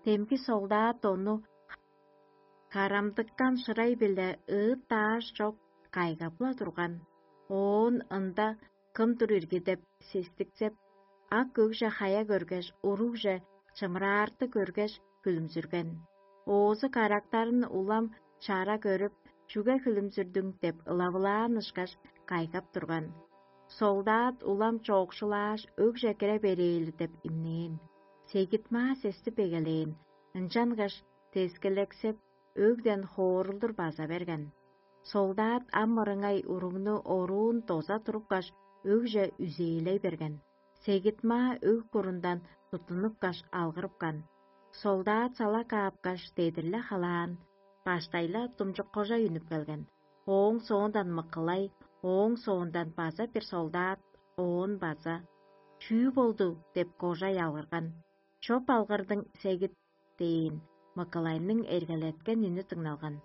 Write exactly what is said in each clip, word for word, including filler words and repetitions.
Демги солдат ону карамдыккан шырай-биле ыыт-даш чок кайгап-ла турган. Оон ында кым тур ирги деп сестиксеп, ак өгже хая көргеш, уругже чымыраартыг көргеш, хүлүмзүрген. Оозу карактарын улам чара көрүп, чүге хүлүмзүрдүң деп ылавылаан ышкаш кайгап турган. Солдат улам чоокшулааш, өгже кире берээли деп имнээн. Сегитмаа сестип эгелээн, ынчангаш тескелексеп, өгден хоорулдур база берген. Солдат ам мырыңай уругну оруун доза турупкаш, өгже үзээлей берген. Сегитмаа өг курундан туттунупкаш, алгырыпкан. Солдат сала каапкаш, дедир-ле халаан, баштай-ла думчуккожай үнүп келген. Ооң соондан мыкылай, ооң соондан база бир солдат, оон база: «Чүү болду?» — деп кожай алгырган. «Чоп алгырдың, сегит» — дээн, мыкылайның эргелеткен үнү дыңналган.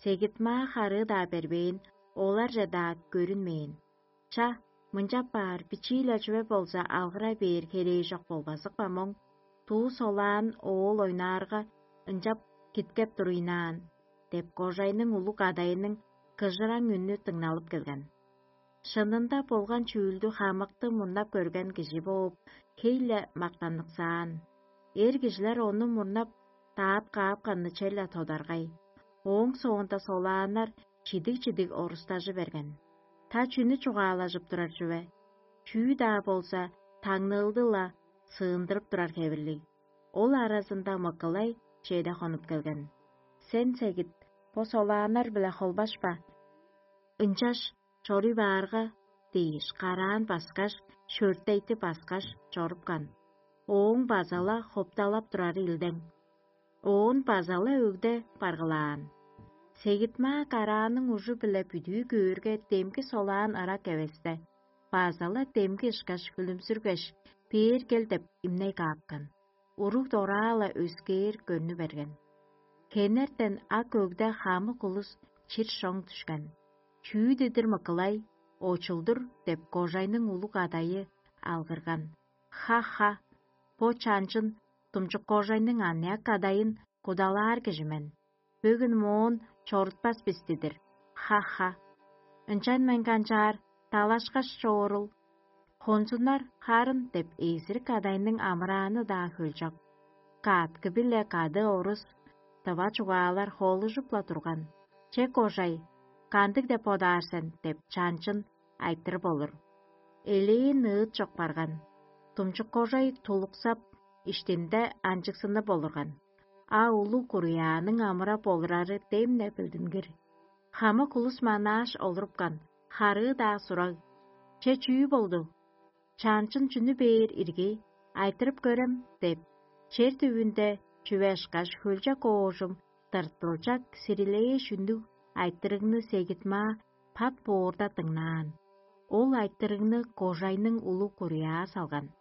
Сегит-маа харыы-даа бербээн, оларже-даа көрүнмээн. Ча, мынчап баар, бичии-ле чүве болза алгыра бээр херээжок болбазыкпа моң, туу солаан оол ойнаарга, ынчап киткеп туруйнаан, — деп кожайның улуг адайының кыжыраң үнү дыңналып келген. Шынында болган чүүлдү хамыкты мурнап көрген кижи бооп, хей-ле мактаныксаан. Эр кижилер ону мурнап даап каапканны черле тодаргай. Ооң соонда солааннар чидиг-чидиг орустажы берген. Та чүнү чугаалажып турар чүве? Чүү-даа болза, таңныылды-ла сыындырып турар хевирлиг. Ол аразында мыкылай чеде хонуп келген. «Сен, сегит, бо солааннар-биле холбашпа. Ынчаш чоруй баарга» — дээш, караан баскаш, шөртейти баскаш чорупкан. Ооң база-ла хопталап турары илдең. Оон база-ла өгде баргылаан. Сегит-маа карааның ужу-биле бүдүү көөрге, демги солаан ырак эвесте, база-ла демги ышкаш хүлүмзүргеш, бээр кел деп имней каапкан. Уруг дораа-ла өскээр көрнү берген. Хенертен ак өгде хамык улус чир шоң дүшкен. «Чүү дидир мыкылай, очулдур» — деп кожайның улуг адайы алгырган. «Ха-ха, бо чанчын думчуккожайның аныяк кадайын кудалаар кижи мен. Бөгүн моон чорутпас бис дидир. Ха-ха. Ынчан мен канчаар, далашкаш чоорул. Хонзуннар харын» — деп эзирик кадайның амырааны-даа хөлчок. Кааткы-биле кады орус тыва чугаалар холужуп-ла турган. «Че, кожай, кандыг деп бодаар сен?» — деп чанчын айтырып олур. Элээн ыыт чок барган. Думчуккожай тулуксап, иштинде анчыксынып олурган. А улуг куруяаның амыра болурары дем-не билдингир. Хамык улус манааш олурупкан, харыы-даа сураг: «Че, чүү болду? Чанчын чүнү бээр ирги, айтырып көрем» — деп, чер түбүнде чүве ышкаш хөлчок оожум тыртылчак сирилээш үннүг айтырыгны Сегит-маа пат боорда дыңнаан. Ол айтырыгны кожайның улуг куруяа салган.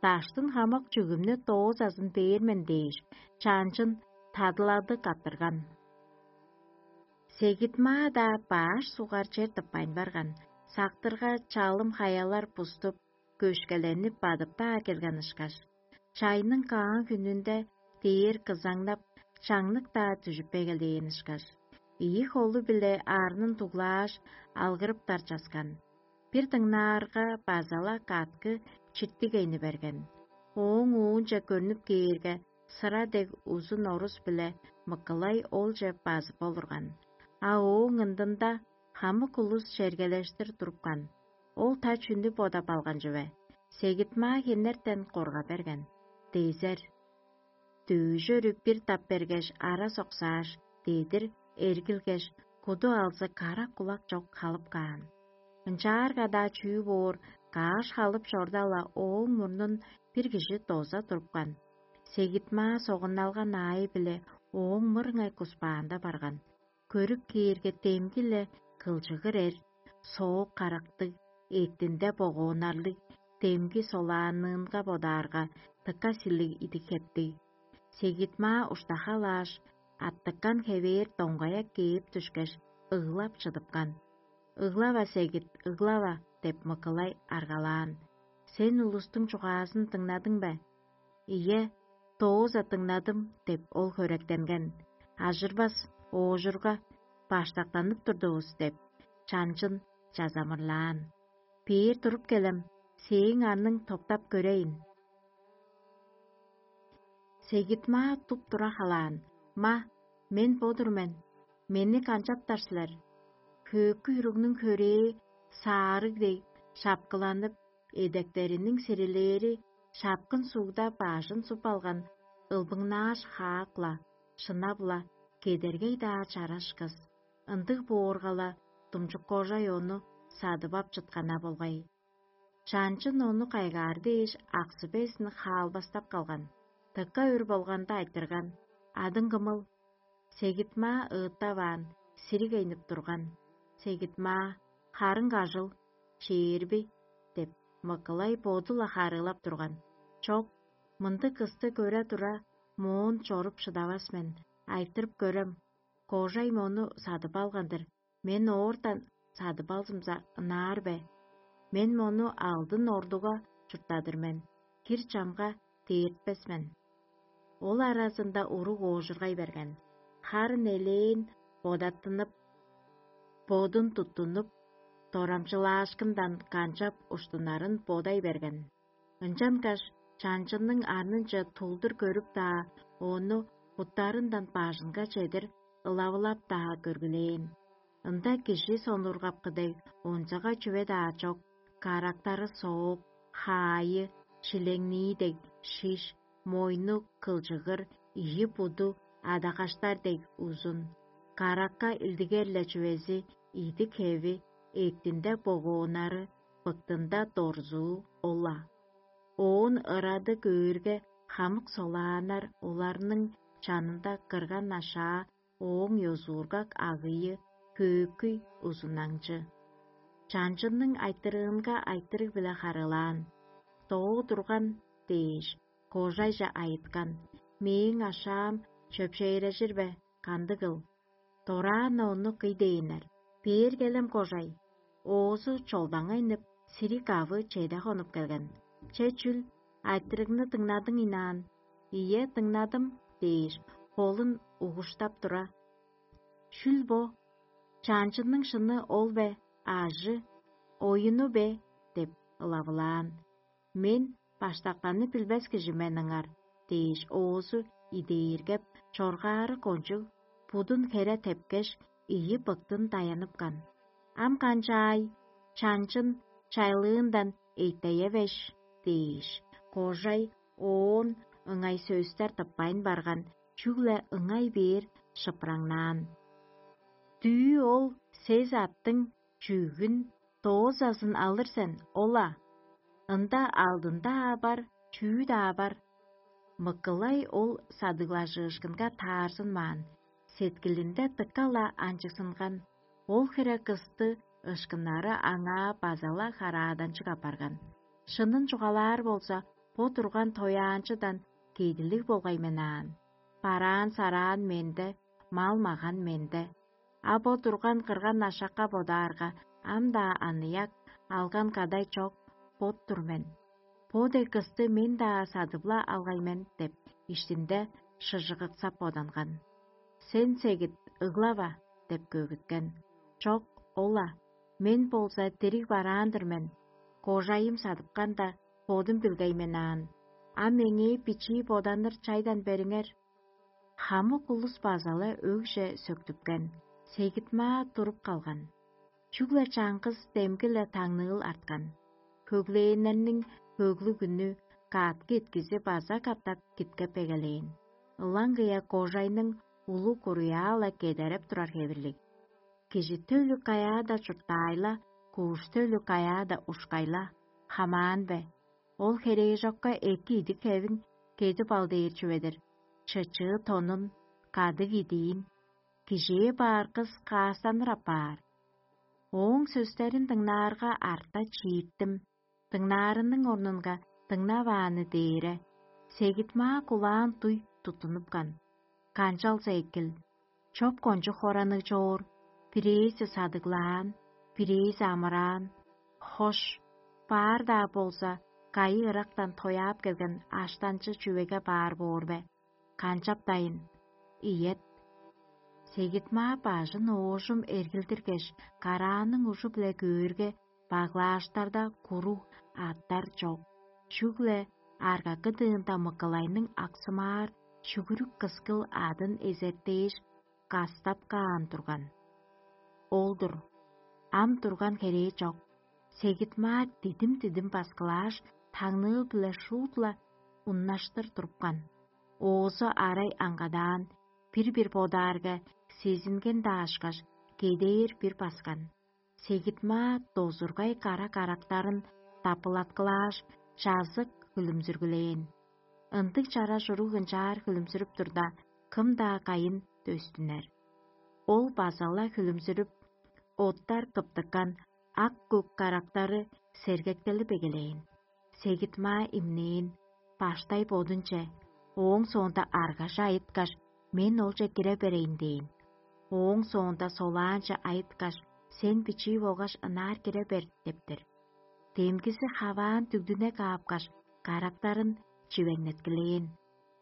«Даштын хамык чүгүмнү доозазын бээр мен» — дээш, чанчын тадылады каттырган. Сегит-маа-даа баш сугар чер тыппайн барган, сактырга чалым хаялар буступ, көшкеленип бадып-даа келген ышкаш. Чайның каан хүнүнде дээр кызаңнап, чаңнык-даа дүжүп эгелээн ышкаш, ийи холу-биле арнын дуглааш, алгырыптар часкан. Бир дыңнаарга, база-ла каткы чиртиг эйни берген. Ооң уунче көрнүп кээрге, сыра дег узун орус-биле мыкылай олче базып олурган. А ооң ындында хамык улус чергелештир турупкан. Ол та чүнү бодап алган чүве? Сегит-маа хенертен корга берген. Дезер. Дөөжүрү бир тап бергеш, ара соксааш, дедир эргилгеш, куду алзы кара кулак чок халып каан. Ынчаарга-даа чүү боор, кааш халып чорда-ла ооң мурнун бир кижи доза турупкан. Сегит-маа согунналган аайы-биле ооң мырыңай куспаанда барган. Көрүп кээрге, демги-ле кылчыгыр эр, соок карактыг, эъттинде богооннарлыг, демги солаанынга бодаарга, дыка силиг идик хептиг. Сегит-маа уштахалааш, аттыккан хевээр доңгая кээп дүшкеш, ыглап чыдыпкан. «Ыглава, сегит, ыглава!» — деп мыкылай аргалаан. «Сен улустуң чугаазын дыңнадың бе?» «Ийе, дооза дыңнадым» – деп ол хөректенген. Ажырбас оожурга баштактанып турдувус деп, чанчын чазамырлаан. Бээр туруп келем, сээң арның топтап көрейн. Сегит-маа туп-тура халаан: «Ма, мен бо-дур мен, мени канчаптар силер?» Хөөкүй уругнуң хөрээ саарыг дег шапкыланып, эдектериниң сирилээри шапкын сугда бажын суп алган ылбыңнааш хаак-ла, шынап-ла кедергей-даа чараш кыс. Ындыг боорга-ла, думчуккожай ону садып ап чыткана болгай. Чанчын ону кайгаар дээш, аксы безин хаалбастап калган. Дыка өр болганда айтырган: «Адың кымыл?» Сегит-маа ыыттаваан, сириг айнып турган. Сегит-маа: «Харың кажыл, чээрби?» – деп, мыкылай боду-ла харыылап турган. «Чок, мындыг кысты көре тура, моон чоруп шыдавас мен, айтырып көрем. Кожай мону садып алган-дыр, мен оортан садып алзымза, ынаар бе? Мен мону алдын ордуга чурттадыр мен, хир чамга дээртпес мен». Ол аразында уруг оожургай берген. Харын элээн бодаттынып, бодун туттунуп, дорамчылаашкындан канчап уштунарын бодай берген. Ынчангаш чанчынның арнынче тулдур көрүп-даа, ону буттарындан бажынга чедир ылавылап-даа көргүлээн. Ында кижи сонургапкы дег онзагай чүве-даа чок: карактары сооп, хаайы шилеңнии дег шиш, мойну кылчыгыр, ийи буду адагаштар дег узун. Каракка илдигер-ле чүвези идик-хеви, эъттинде богооннары, быктында дорзуу ол-ла. Оон ырады көөрге, хамык солааннар, оларның чанында кырган ашаа, ооң ёзуургак агыйы, хөөкүй узунаңчы. Чанчынның айтырыынга айтырыг-биле харыылаан: «Доо турган» – дээш, кожайже айыткан: «Мээң ашаам чөпшээрежир бе, кандыгыл?» Дораан-на ону кый дээннер: «Бээр келем, кожай». Оозу чолбаңайнып, сириг авы чеде хонуп келген. «Че чүл, айтырыгны дыңнадың ыйнаан?» «Ийе, дыңнадым» – дээш, холун угуштап тура: «Шүл бо? Чаанчынның шыны ол бе, аажы, оюну бе?» – деп ылавылаан. «Мен баштактанып билбес кижи мен ыңар» – дээш, оозу идээргеп, чоргаары кончуг, будун хере тепкеш, ийи быктын даянып каан. «Ам канчаай, чанчын чайлыындан эйтейевеш» – дээш, кожай оон ыңай сөстер тыппайн барган, чүгле ыңай бээр шыпыраңнаан: «Дүъ ол сес аттың чүъгүн, доозазын алыр сен ол-ла. Ында алдын-даа бар, чүү-даа бар». Мыкылай ол садыглажыышкынга таарзынмаан, сеткилинде дыка-ла анчыгзынган. Ол хире кысты ышкыннары аңаа база-ла харааданчыг апарган. Шынын чугаалаар болза, бо турган тояанчыдан кедилиг болгай мен аан. Бараан-сараан менде, мал-маган менде. А бо турган кырган ашакка бодаарга, ам-даа аныяк, алган кадай чок бот-тур мен. Бо дег кысты мен-даа садып-ла алгай мен деп, иштинде шыжыгыксап боданган. «Сен сегит, ыглава» – деп көгүткен. «Чок, ол-ла, мен болза дириг бараан-дыр мен. Кожайым садыпкан-да, бодум билгей мен аан. А меңээ бичии боданыр чайдан бериңер». Хамык улус база-ла өгже сөктүпкен, сегит-маа туруп калган. Чүгле чаңгыс демги-ле таңныыл арткан. Хөглээннерниң хөглүг үнү каъткы иткизи база катап киткеп эгелээн. Ылаңгыя кожайның улуг куруяа-ла кедереп турар хевирлиг. Кижи төлү каяада чурттаайла, куш төлү каяада ушкайла, хамаан бе? Ол херээжокка эки идик-хевин кедип ал дээр чүве-дир: чычыы тонун, кадыг идиин. Кижээ баар кыс каастаныр апаар. Ооң сөстерин дыңнаарга, арта чииттим. Дыңнаарының орнунга дыңнавааны дээре, сегит-маа кулаан дуй туттунупкан. Канчалза экил, чоп кончуг хораныг чоор, бирээзи садыглаан, бирээзи амыраан. Хош, баар-даа болза, Кайы ырактан тояап келген аштанчы чүвеге баар боор бе? Канчаптайын? Ийет. Сегитмаа бажын оожум эргилдиргеш, карааның ужу-биле көөрге, баглааштарда куруг аттар чок. Чүгле аргакы дыында мыкылайның аксымаар шүгүрүк кыскыл адын эзертээш, кастап каан турган. Ол-дур, ам турган херээ чок. Сегитмаа дидим-дидим баскылааш, таңныыл-биле шуут-ла уннаштыр турупкан. Оозу арай аңгадаан, бир-бир бодаарга, сезинген даашкаш, кедээр бир баскан. Сегитмаа дозургай кара карактарын дапылаткылааш, чазык хүлүмзүргүлээн. Ындыг чара чуруг ынчаар хүлүмзүрүп турда, кым-даа кайын дөстүнер. Ол база-ла хүлүмзүрүп, оттар кыптыккан ак-көк карактары сергеттелип эгелээн. Сегитмаа имнээн, баштай бодунче, ооң соонда аргаже айыткаш, мен олче кире берейн дээн. Ооң соонда солаанче айыткаш, сен бичии болгаш ынаар кире бер дептер. Демгизи хаваан дүгдүне каапкаш, карактарын чивеңнеткилээн.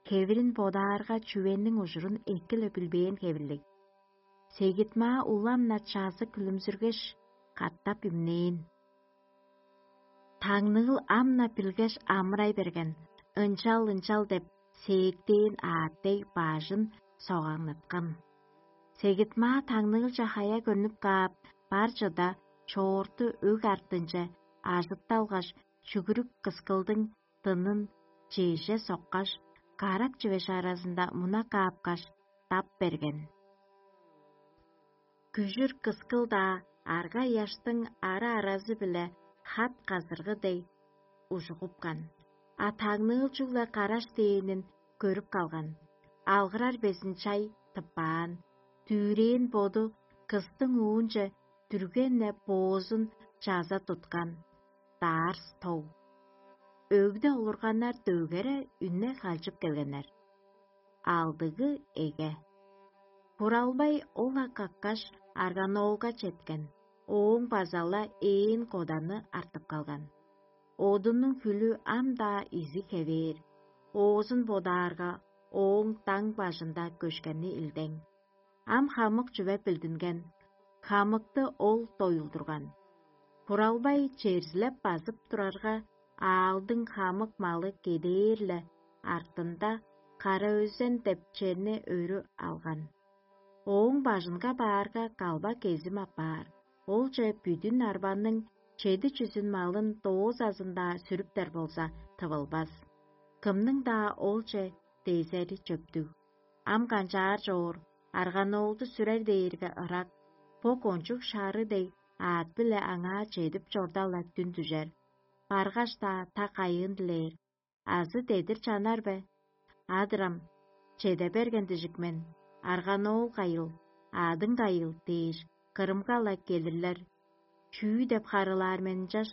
Хевирин бодаарга, чүвениң ужурун эки-ле билбээн хевирлиг. Сегитмаа улам-на чазы күлүмзүргеш, катап имнээн. Таңныыл ам-на билгеш амырай берген, ынчал-ынчал деп сээктээн аът дег баажын согаңныткан. Сегитмаа таңныылче хая көрнүп каап, бар чыда чоорту өг артынче ажытталгаш, чүгүрүк кыскылдың дынын чеже соккаш, карак чивеш аразында муна каапкаш, тап берген. Күжүр кыскыл-даа арга-ыяштың ара-аразы-биле хат казыргы дег ужугупкан, а таңныыл чүгле караш дээнин көрүп калган. Алгырар безин чай тыппаан, дүвүрээн боду кыстың уунче дүрген-не боозун чаза туткан. Даарс тог. Өгде олурганнар дөгере үнне халчып келгеннер. Алдыгы эге. Буралбай ол-ла каккаш, арганоолга четкен, ооң база-ла ээн коданы артып калган. Одунуң хүлү ам-даа изи хевээр, оозун бодаарга, ооң даң бажында көшкени илдең. Ам хамык чүве билдинген, хамыкты ол доюлдурган. Буралбай черзилеп базып турарга, аалдың хамык малы кедээр-ле артында Кара-Өзен деп черни өрү алган. Ооң бажынга баарга, калба кезим апаар, олче бүдүн арбаның чеди чүзүн малын доозазын-даа сүрүптер болза, тывылбас. Кымның-даа олче дезери чөптүг. Ам канчаар чоор, арганоолду сүрер дээрге ырак, бо кончуг шары дег аът-биле аңаа чедип чорда-ла дүн дүжер, баргаш-даа та кайыын дилээр, азы дедир чанар бе? Адырам, чеде берген дижик мен, арганоол кайыл, аъдың кайыл дээш, кырымга-ла келирлер. Чүү деп харыылаар мен ынчаш?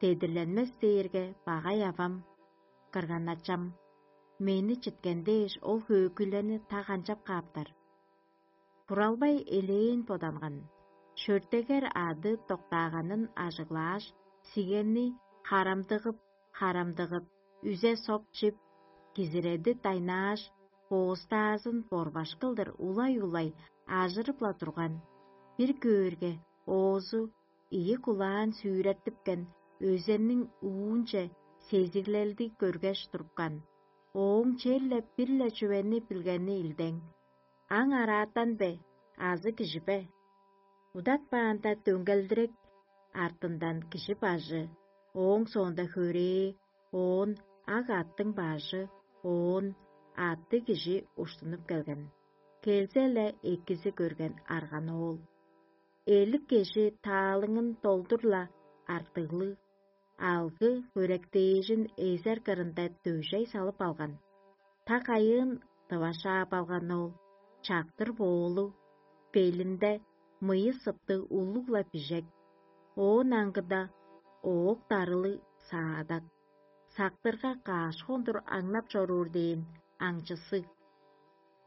Дедирленмес дээрге багай авам, кырган-ачам, мени читкен дээш, ол хөөкүйлени та канчап кааптар? Буралбай элээн боданган. Шөртегер ады доктааганын ажыглааш, сигенни харамдыгып, харамдыгып, үзе соп чип, кизиреди дайнааш, боостаазын борбаш кылдыр улай-улай ажырып-ла турган. Бир көөрге, оозу ийи кулаан сүүреттипкен, өзенниң уунче сезиглелди көргеш турупкан. Ооң черле бир-ле чүвени билгени илдең: аң араатан бе азы кижи бе? Удатпаанда дөңгелдирек, артындан кижи бажы, ооң соонда хөрээ, оон ак аъттың бажы, оон аътты кижи уштунуп келген. Келзе-ле экизи көрген арган оол. Элик кежи таалыңын долдур-ла артыглыг, алгы хөректээжин эзер кырында дөжей салып алган. Та кайыын дывашаап алган ол, чактыр боолуг, белинде мыйы сыптыг улуг-ла бижек, оон аңгыда оок дарылыг саадак, сактырга каш хондур аңнап чоруур дээн аңчысы.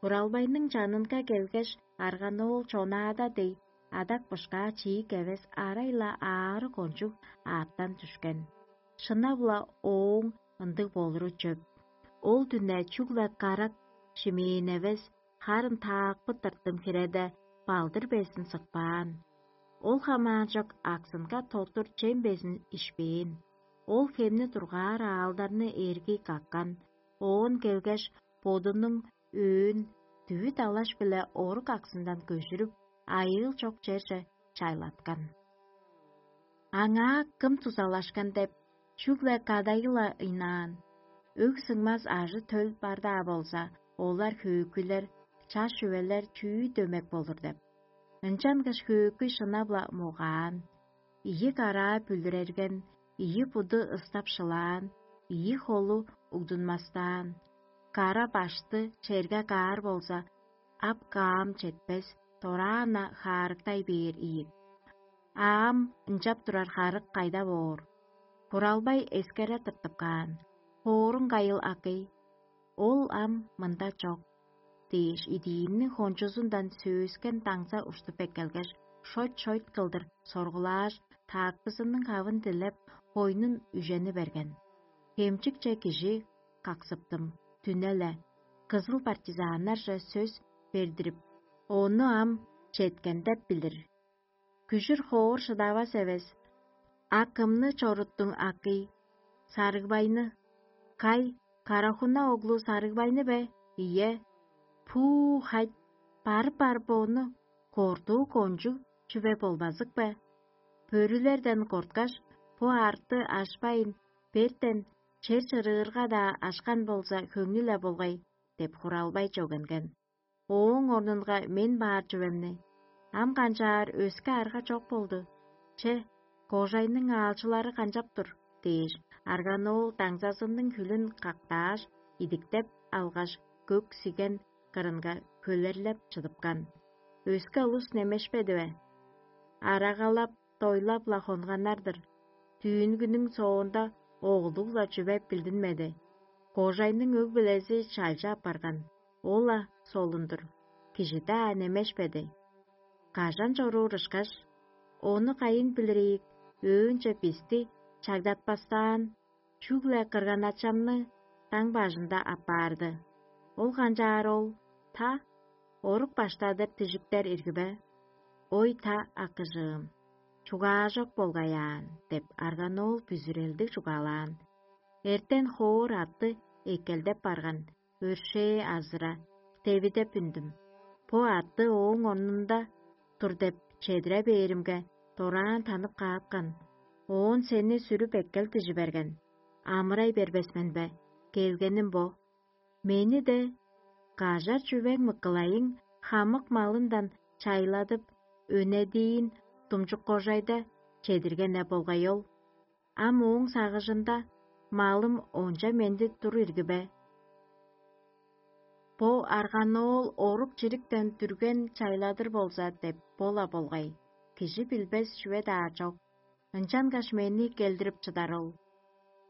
Буралбайның чанынга келгеш, арганоол чонаада дег, адак бышкаа чиик эвес арай-ла аары кончуг аъттан дүшкен. Шынап-ла ооң ындыг болуру чөп. Ол дүне чүгле карак шимээн эвес, харын таакпы тыртым хиреде балдыр безин сыкпаан. Ол хамаанчок аксынга тоттур чем безин ишпээн. Ол хемни тургаар аалдарны эргий каккан, оон келгеш, бодунуң өөн дүвүт алаш-биле орук аксындан көжүрүп, айыыл чок черже чайлаткан. Аңаа кым дузалашкан деп, чүгле кадайы-ла ыйнаан. Өг сыңмас ажы-төл бар-даа болза, олар хөөкүйлер, чаш чүвелер чүү дөмек болур деп. Ынчангаш хөөкүй шынап-ла могаан, ийи караа бүлүрерген, ийи буду ыстап шылаан, ийи холу угдунмастаан, кара башты черге каар болза, ап каам четпес, дораан-на хаарыктай бээр ийик. Аам ынчап турар харык кайда боор? Буралбай эскере тыртып каан: «Хооруң кайыл, акый? Ол ам мында чок» – дээш, идиинниң хончузундан сөөскен даңза уштуп эккелгеш, шойт-шойт кылдыр соргулааш, таакпызының хавын дилеп, хойнун үжени берген. Хемчикче кижи каксыптым, дүне-ле, кызыл партизаннарже сөс бердирип, ону ам четкен деп билир. Күжүр хоор шыдавас эвес: «А кымны чоруттуң, акый? Сарыгбайны? Кай, Карахуна оглу Сарыгбайны бе? Ийе. Пуу, хать, барып-барып ону кортуу кончуг чүве болбазык бе? Бөрүлерден корткаш, бо арты ашпайн, бертен чер чырыырга-даа ашкан болза, хөңнү-ле болгай» – деп Хуралбай чөгенген. Ооң орнунга мен баар чүвемни: «Ам канчаар, өске арга чок болду. Че, кожайның аалчылары канчап тур?» – дээш, Арганоол даңзазының хүлүн кактааш, идиктеп алгаш, көк сиген кырынга хөлерлеп чыдыпкан. Өске улус немешпеди бе? Арагалап, дойлап-ла хонганнар-дыр. Дүүнгүнүң соонда оглуг-ла чүве билдинмеди. Кожайның өг-бүлези чалча апарган, ол-ла солун-дур, кижи-даа немешпеди. Кажан чоруур ышкаш, ону кайын билир ийик, өөнче бисти чагдатпастаан, чүгле кырган-ачамны даң бажында аппаарды. Ол канчаар ол, та, орук баштадыр дижиктер ирги бе? Ой, та, акыжыым, чугаажок болгай аан – деп, Арганоол бүзүрелдиг чугаалаан. Эртен хоор атты эккелдеп барган, өршээ азыра, девидеп үндүм. Бо атты ооң орнунда тур деп чедире бээримге, дораан танып каапкан. Оон сени сүрүп эккел дижи берген. Амырай бербес мен бе? Келгеним бо. Мени-де, кажар чүвең Мыкылайың хамык малындан чайладып, өнедиин Думчук-кожайда чедирген-не болгай ол. Ам ооң сагыжында малым онча менди тур ирги бе? Бо Арганоол орук чириктен дүрген чайладыр болза деп бо-ла болгай, кижи билбес чүве-даа чок. Ынчангаш мени келдирип чыдар ол.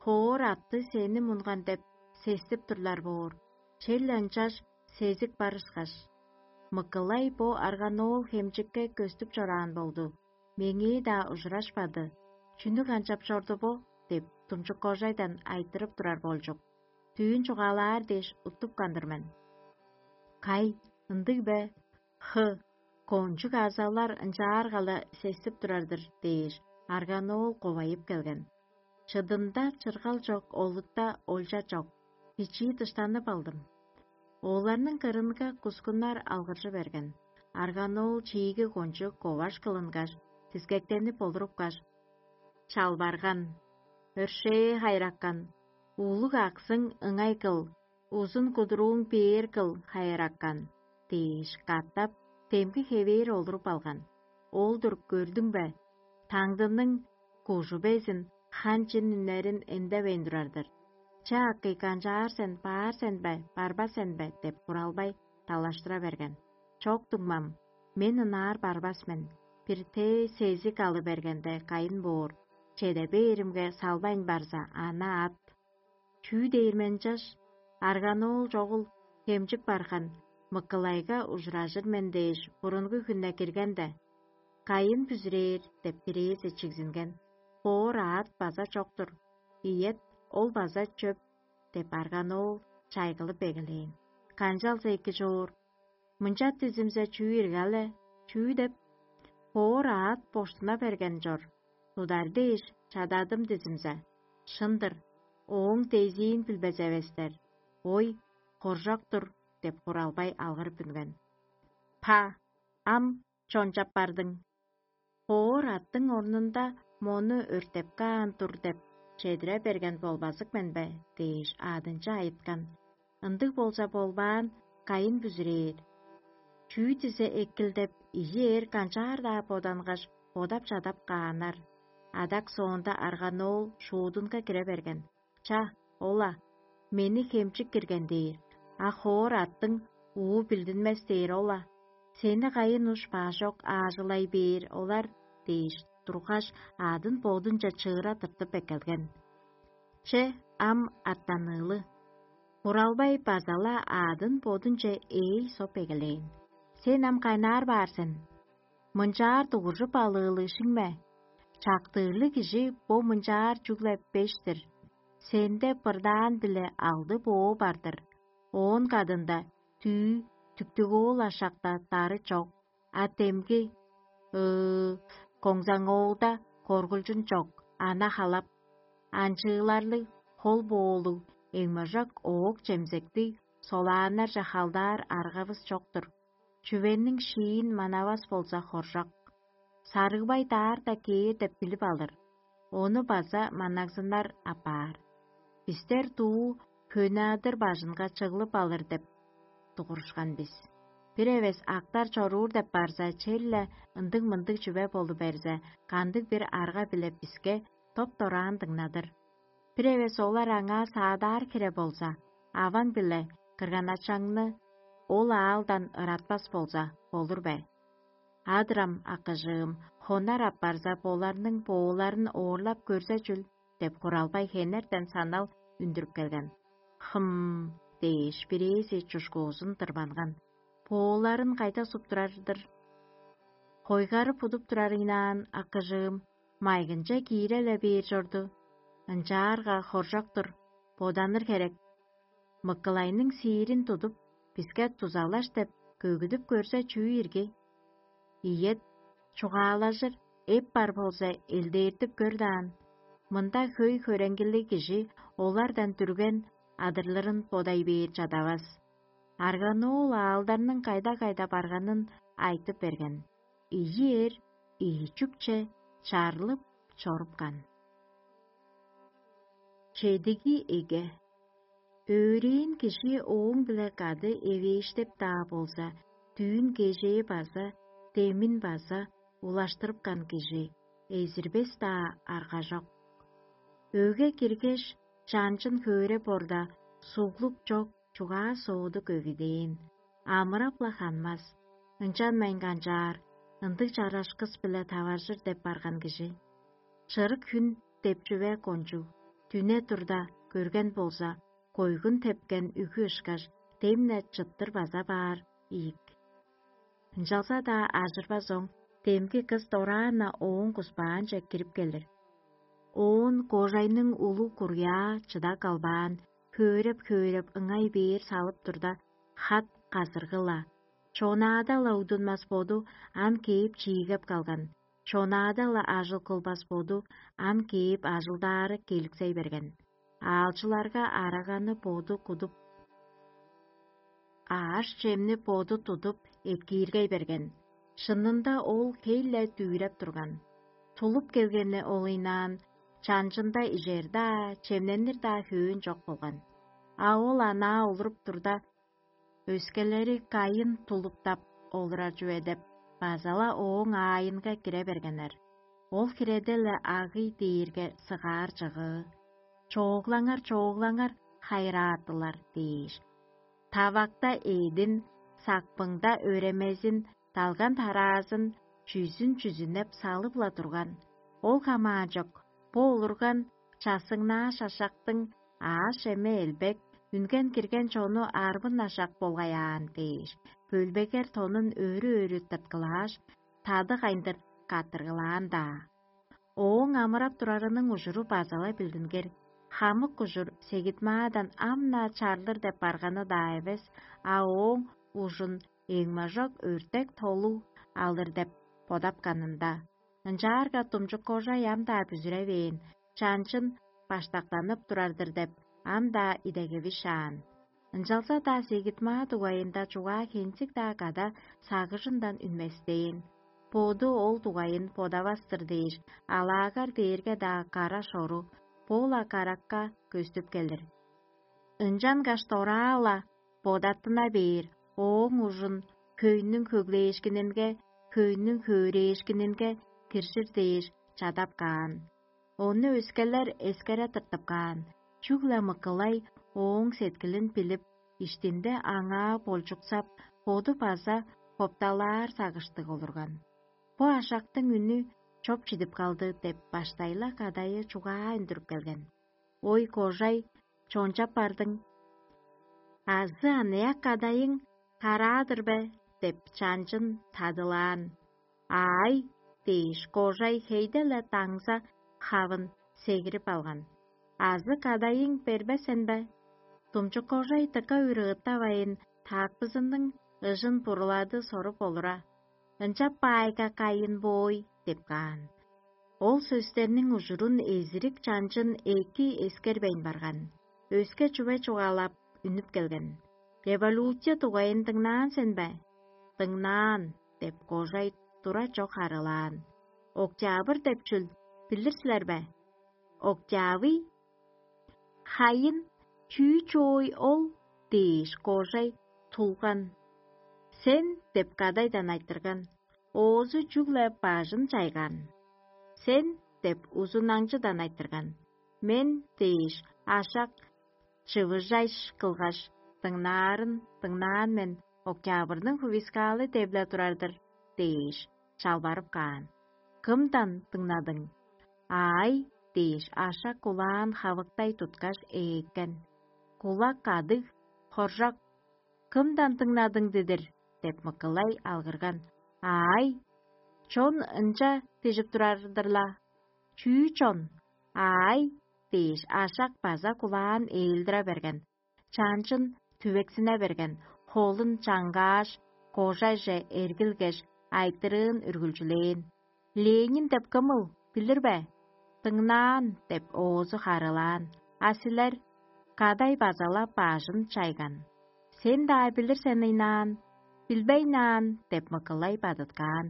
Хоор атты сени мунган деп сестип турлар боор, черле ынчаш сезик бар ышкаш. Мыкылай бо Арганоол хемчикке көстүп чораан болду, меңээ-даа ужурашпады. «Чүнү канчап чорду бо?» – деп, Думчук-кожайдан айтырып турар болчук. Дүүн чугаалаар дээш уттупкан-дыр мен. «Кай, ындыг бе? Хы, кончуг азалар ынчаарга-ла сестип турар-дыр» – дээш, Арганоол ковайып келген. Чыдында чыргал чок, олутта олча чок, бичии дыштанып алдым. Оларның кырынга кускуннар алгыржы берген. Арганоол чииги кончуг коваш кылынгаш, дискектенип олурупкаш, чалбарган: «Өршээ хайыраккан, улуг аксың ыңай кыл, узун кудурууң бээр кыл, хайыраккан» – дээш, катап демги хевээр олуруп алган. Ол-дур, көрдүң бе? Таңдының кужу безин хан чин үннерин эндевейн турар-дыр. «Че, акый, канчаар сен, баар сен бе, барбас сен бе?» – деп Хуралбай далаштыра берген. «Чок, дуңмам, мен ынаар барбас мен. Бир тээ сезик алы бергенде кайын боор, чеде бээримге салбайн барза, ана ат». Чүү дээр мен чаш, Арганоол чогул хемчик барган, Мыкылайга ужуражыр мен дээш, бурунгу хүнне киргенде, «Кайын бүзүрээр» – деп бирээзи чигзинген. Хоор аът база чок-тур. Ийет, ол база чөп» – деп арган оол чайгылып эгелээн. Канчалза эки чоор. Мынча дизимзе чүү иргал-ле, чүү деп? Хоор аът боштуна берген чор. Тудар дээш чададым дизимзе. Шын-дыр, ооң дезиин билбес эвестер. Ой, хоржок-тур деп, Куралбай алгырып үнген. Па, ам чончап бардың. Хоор аттың орнунда мону өртеп каан тур деп, чедире берген болбазык мен бе? – дээш, аадынчы айыткан. Ындыг болза болбаан, кайын бүзүрээр. Чүү дизе экил деп, ийи эр канчаар-даа бодангаш, бодап-чадап кааннар. Адак соонда арганоол шуудунга кире берген. Ча, ол-ла, мени хемчик кирген дээр, а хоор аттың уу билдинмес дээр ол-ла. Сени кайын уш баажок аажылай бээр олар дээш тургаш, аадын бодунче чыыра тыртып эккелген. Че, ам аттаныылы. Буралбай база-ла аадын бодунче ээлсоп эгелээн. Сен ам кайнаар баар сен? Мынчаар дугуржуп алыылыг шиңме? Чактыырлыг кижи бо мынчаар чүгле беш-тир. Сенде бырдаан-биле алды боо бар-дыр. Оон кадында түү, түктүг-оол ашакта дары чок, а демги, ыы, коңзаңоолда коргулчун чок, ана халап. Анчыыларлыг, хол боолуг, эңможак оок-чемзектиг, солааннарже халдаар аргавыс чок-тур. Чүвениң шиин манавас болза хоржок. Сарыгбай даарда кээр деп билип алыр. Ону база маннагзыннар апаар. Бистер дуу хөне-адыр бажынга чыглып алыр деп дугурушкан бис. Бир эвес актар чоруур деп барза, черле ындыг-мындыг чүве болу берзе, кандыг-бир арга-биле биске топ-дораан дыңнадыр. Бир эвес олар аңаа саадаар хире болза, аваң-биле кырган-ачаңны ол аалдан ыратпас болза, болур бе? Адырам, акыжыым, хонар апарза, боларның бооларын оорлап көрзе чүл деп, Куралбай хенертен санал үндүрүп келген. Хым дээш, бирээзи чушкуузун тырбанган. Бооларын кайда суп турар-дыр? Хойгары будуп турар ыйнаан, акыжыым, майгынче киире-ле бээр чорду. Ынчаарга хоржок-тур, боданыр херек. Мыкылайның сиирин тудуп, биске дузалаш деп көгүдүп көрзе, чүү ирги? Ийет, чугаалажыр эп бар болза, элдээртип көр даан. Мында хөй-хөреңгилиг кижи олардан дүрген адырлырын бодай бээр чадавас. Арган-оол аалдарның кайда-кайда барганын айтып берген. Ийи эр ийи чүкче чарлып чорупкан. Чедиги эге. Өөрээн кижи ооң-биле кады эвээштеп-даа болза, дүүн кежээ база, демин база улаштырыпкан кижи эзирбес-даа арга чок. Өге киргеш, чанчын хөөреп орда, суглук чок чугаа-сооду көгүдээн, амырап-ла ханмас, ынчанмайн канчаар, ындыг чарашкыс-биле таваржыр деп барган кижи. Чырык хүн деп чүве кончуг, дүне турда көрген болза, койгун тепкен үгү ышкаш, дем-не чыттыр база баар ийик. Ынчалза-даа ажырбас оң, демги кыс дораан-на ооң куспаанче кирип келир. Оон кожайның улуг куруяа чыда калбаан, хөөреп-хөөреп ыңай бээр салып турда, хат казыргы-ла. Чонаада-ла удунмас боду ам кээп чиигеп калган, чонаада-ла ажыл кылбас боду ам кээп ажылдаары келиксей берген. Аалчыларга араганы боду кудуп, ааш-чемни боду тудуп, экииргей берген. Шынында ол хей-ле дүвүреп турган. Тулуп келгени ол ыйнаан, чанчында ижер-даа, чемненир-даа хөөн чок болган. А ол анаа олуруп турда, өскелери кайын тулуптап олурар чүве деп, база-ла ооң аайынга кире бергеннер. Ол хиреде-ле агый дээрге сыгаар чыгыы, чооглаңар, чооглаңар, хайыраатылар дээш. Тавакта эъдин, сакпыңда өремезин, далган тараазын, чүзүн чүзүнеп салып-ла турган. Ол хамаанчок, бо улурган часыңнаа шашактың ааш-эме элбек, үнген-кирген чону арбын ашак болгай аан дээш, бөлбегер тонун өрү-өрү тырткылааш, тады кайындыр каттыргылаан-даа. Ооң амырап турарының ужуру база-ла билдингир, хамык ужур сегидмаадан ам-на чарлыр деп барганы-даа эвес, а ооң ужун эңмажок өртек толуг алыр деп бодапканында. Ынчаарга думчук кожай ам-даа бүзүревээн, чанчын баштактанып турар-дыр деп, ам-даа идегеви шаан. Ынчалза-даа сегидмаа дугайында чугаа хенчик-даа када сагыжындан үнместээн. Боду ол дугайын бодавас-тыр дээш, алаагар дээрге-даа кара шору, боола каракка көстүп келир. Ынчангаш дораа-ла бодаттына бээр, ооң ужун хөйнүң хөглээшкининге, хөйнүң хөөрээшкининге киржир дээш чадап каан. Ону өскелер эскере тыртып каан, чүгле Мыкылай ооң сеткилин билип, иштинде аңаа болчуксап, боду база хопталаар сагыштыг олурган. Бо ашактың үнү чоп чидип калды деп баштайла кадайы чугаа үндүрүп келген. Ой, кожай, чончап бардың. Азы аныяк кадайың караадыр бе? Деп чанчын тадылаан. Аай, дээш, кожай хейде-ле даңза хавын сегирип алган. Азы кадайың бербесен бе? Думчук кожай дыка үрыыттавайн, таакпызының ыжын бурулады соруп олура. Ынчап баайга кайын боой деп каан. Ол сөстерниң ужурун эзирик чанчын эки эскербейн барган. Өске чүве чугаалап, үнүп келген. Революция дугайын дыңнаан сен бе? Дыңнаан, деп кожай тура чок харылаан. Октябрь деп чүл, билир силер бе? Октябрь? Хайын, чүү чоой ол? Дээш кожай тулган. Сен деп кадайдан айтырган, оозу чүгле бажын чайган. Сен деп узунаңчыдан айтырган. Мен дээш ашак чывыжайш кылгаш, дыңнаарын дыңнаан мен, октябрьның хувискаалы деп-ле турар-дыр дээш, чалбарып каан. Кымдан дыңнадың? Аай, дээш ашак кулаан хавыктай туткаш ээккен. Кулак кадыг, хоржок. Кымдан дыңнадың дидир? Деп Мыкылай алгырган. Аай, чон ынча дижип турар-дыр-ла. Чүү чон? Аай, дээш ашак база кулаан ээлдире берген. Чанчын түвексине берген, холун чаңгааш, кожайже эргилгеш, айтырыын үргүлчүлээн. Ленин деп кымыл, билир бе? Дыңнаан деп оозу харылаан, а силер? Кадай база-ла бажын чайган. Сен-даа билир сен ыйнаан, билбейнаан деп Мыкылай бадыткаан.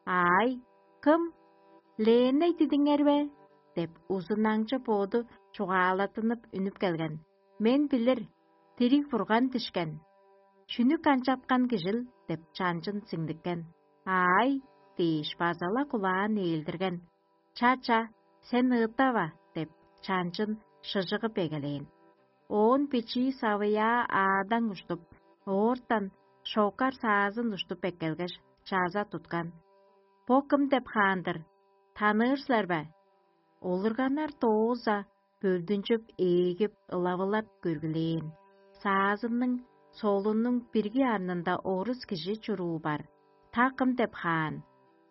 Аай, кым? Леней дидиңер бе? Деп узунаңчы боду чугаалаттынып үнүп келген. Мен билир, дириг бурган дишкен. Чүнү канчапкан кижил деп чанчын сиңдиккен. Аай, дээш база-ла кулаан ээлдирген. Ча-ча, сен ыыттава деп чанчын шыжыгып эгелээн. Оон бичии савыяа аадаң уштуп, оортан шокар саазын уштуп эккелгеш, чаза туткан. Бо кым деп хаан-дыр? Таныыр силер бе? Олурганнар дооза бөлдүнчүп, ээлгип, ылавылап көргүлээн. Саазынның солунуң бирги арнында орус кижи чуруу бар. Та кым деп хаан?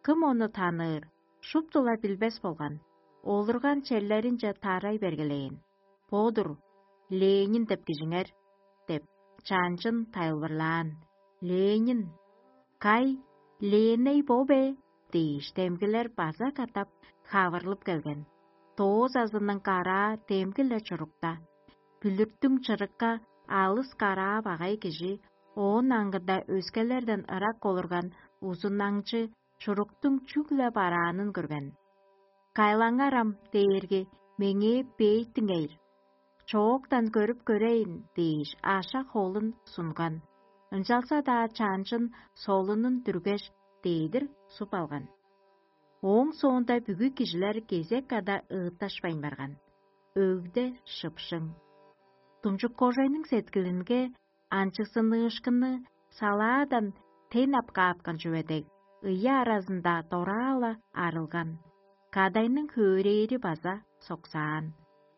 Кым ону таныыр? Шупту-ла билбес болган. Олурган черлеринче тарай бергилээн. Бо-дур, Ленин деп кижиңер, деп чанчын тайылбырлаан. Ленин, кай, Леней бо бе? Дээш, демгилер база катап хавырлып келген. Доозазының караа демги-ле чурукта. Бүлүрттүң чырыкка алыс караа багай кижи, оон аңгыда өскелерден ырак олурган узунаңчы чуруктуң чүгле бараанын көрген. Кайлаңарам дээрге меңээ бээттиңейр. Чооктан көрүп көрейн дээш, аша холун сунган. Ынчалза-даа чаанчын солунун дүргеш, дээдир суп алган. Ооң соонда бүгү кижилер кезек када ыытташпайн барган. Өгде шыпшың. Думчук кожайның сеткилинге анчыксыныышкынны салаадан тен ап каапкан чүве дег, ыйы аразында дораала арылган. Кадайның хөөрээри база соксаан.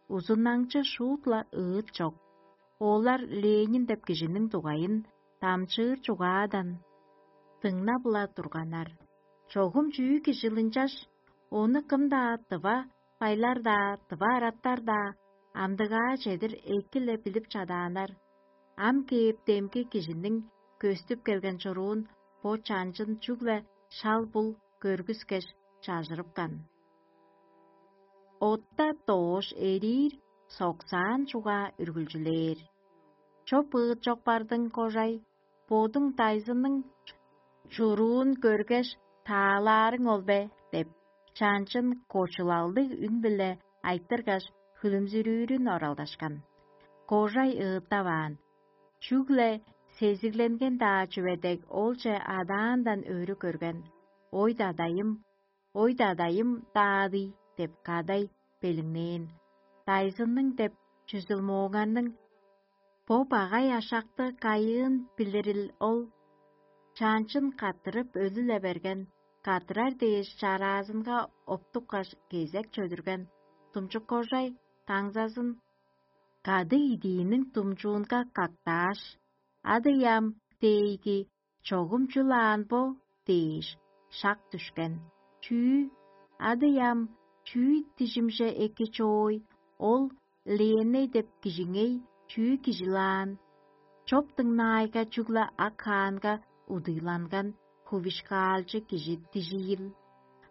Узуннаңчы шуут-ла ыыт чок. Олар Ленин деп кижиниң дугайын дамчыыр чугаадан дыңнап-ла турганнар. Чогум чүү кижи ынчаш, ону кым-даа, тыва байлар-даа, тыва араттар-даа амдыгаа чедир эки-ле билип чадааннар. Ам кээп демги кижиниң көстүп келген чуруун бо чанчын чүгле шал-бул көргүскеш чажырыпкан. Отта доош эриир, соксаан чугаа үргүлчүлээр. Чоп ыыт чок бардың, кожай, бодуң дайзының чуруун көргеш, таалаарың ол бе? — деп, чанчын кочулалдыг үн-биле айтыргаш, хүлүмзүрүүрүн оралдашкан. Кожай ыыттаваан. Чүгле сезигленген-даа чүве дег олче адаандан өрү көрген. «Ой, дадайым, ой, дадайым, даадый!» — деп кадай белиңнээн. Дайзынның деп чүзүлмооңарның бо багай ашакты кайыын билирил ол? Чаанчын каттырып өлү-ле берген, каттырар дээш чараазынга оптупкаш, кезек чөдүрген. Тумчук кожай таңзазын кады идииниң думчуунга кактааш: «Ады ям, дээйги, чогум чүл аан бо?» — дээш, шак дүшкен. «Чүү? Ады ям, чүү дижимче эки чоой, ол Лиеней деп кижиңей чүү кижил аан?» Чоп дыңнаайга чүгле ак хаанга удуйланган хувишкаалчы кижи дижиил.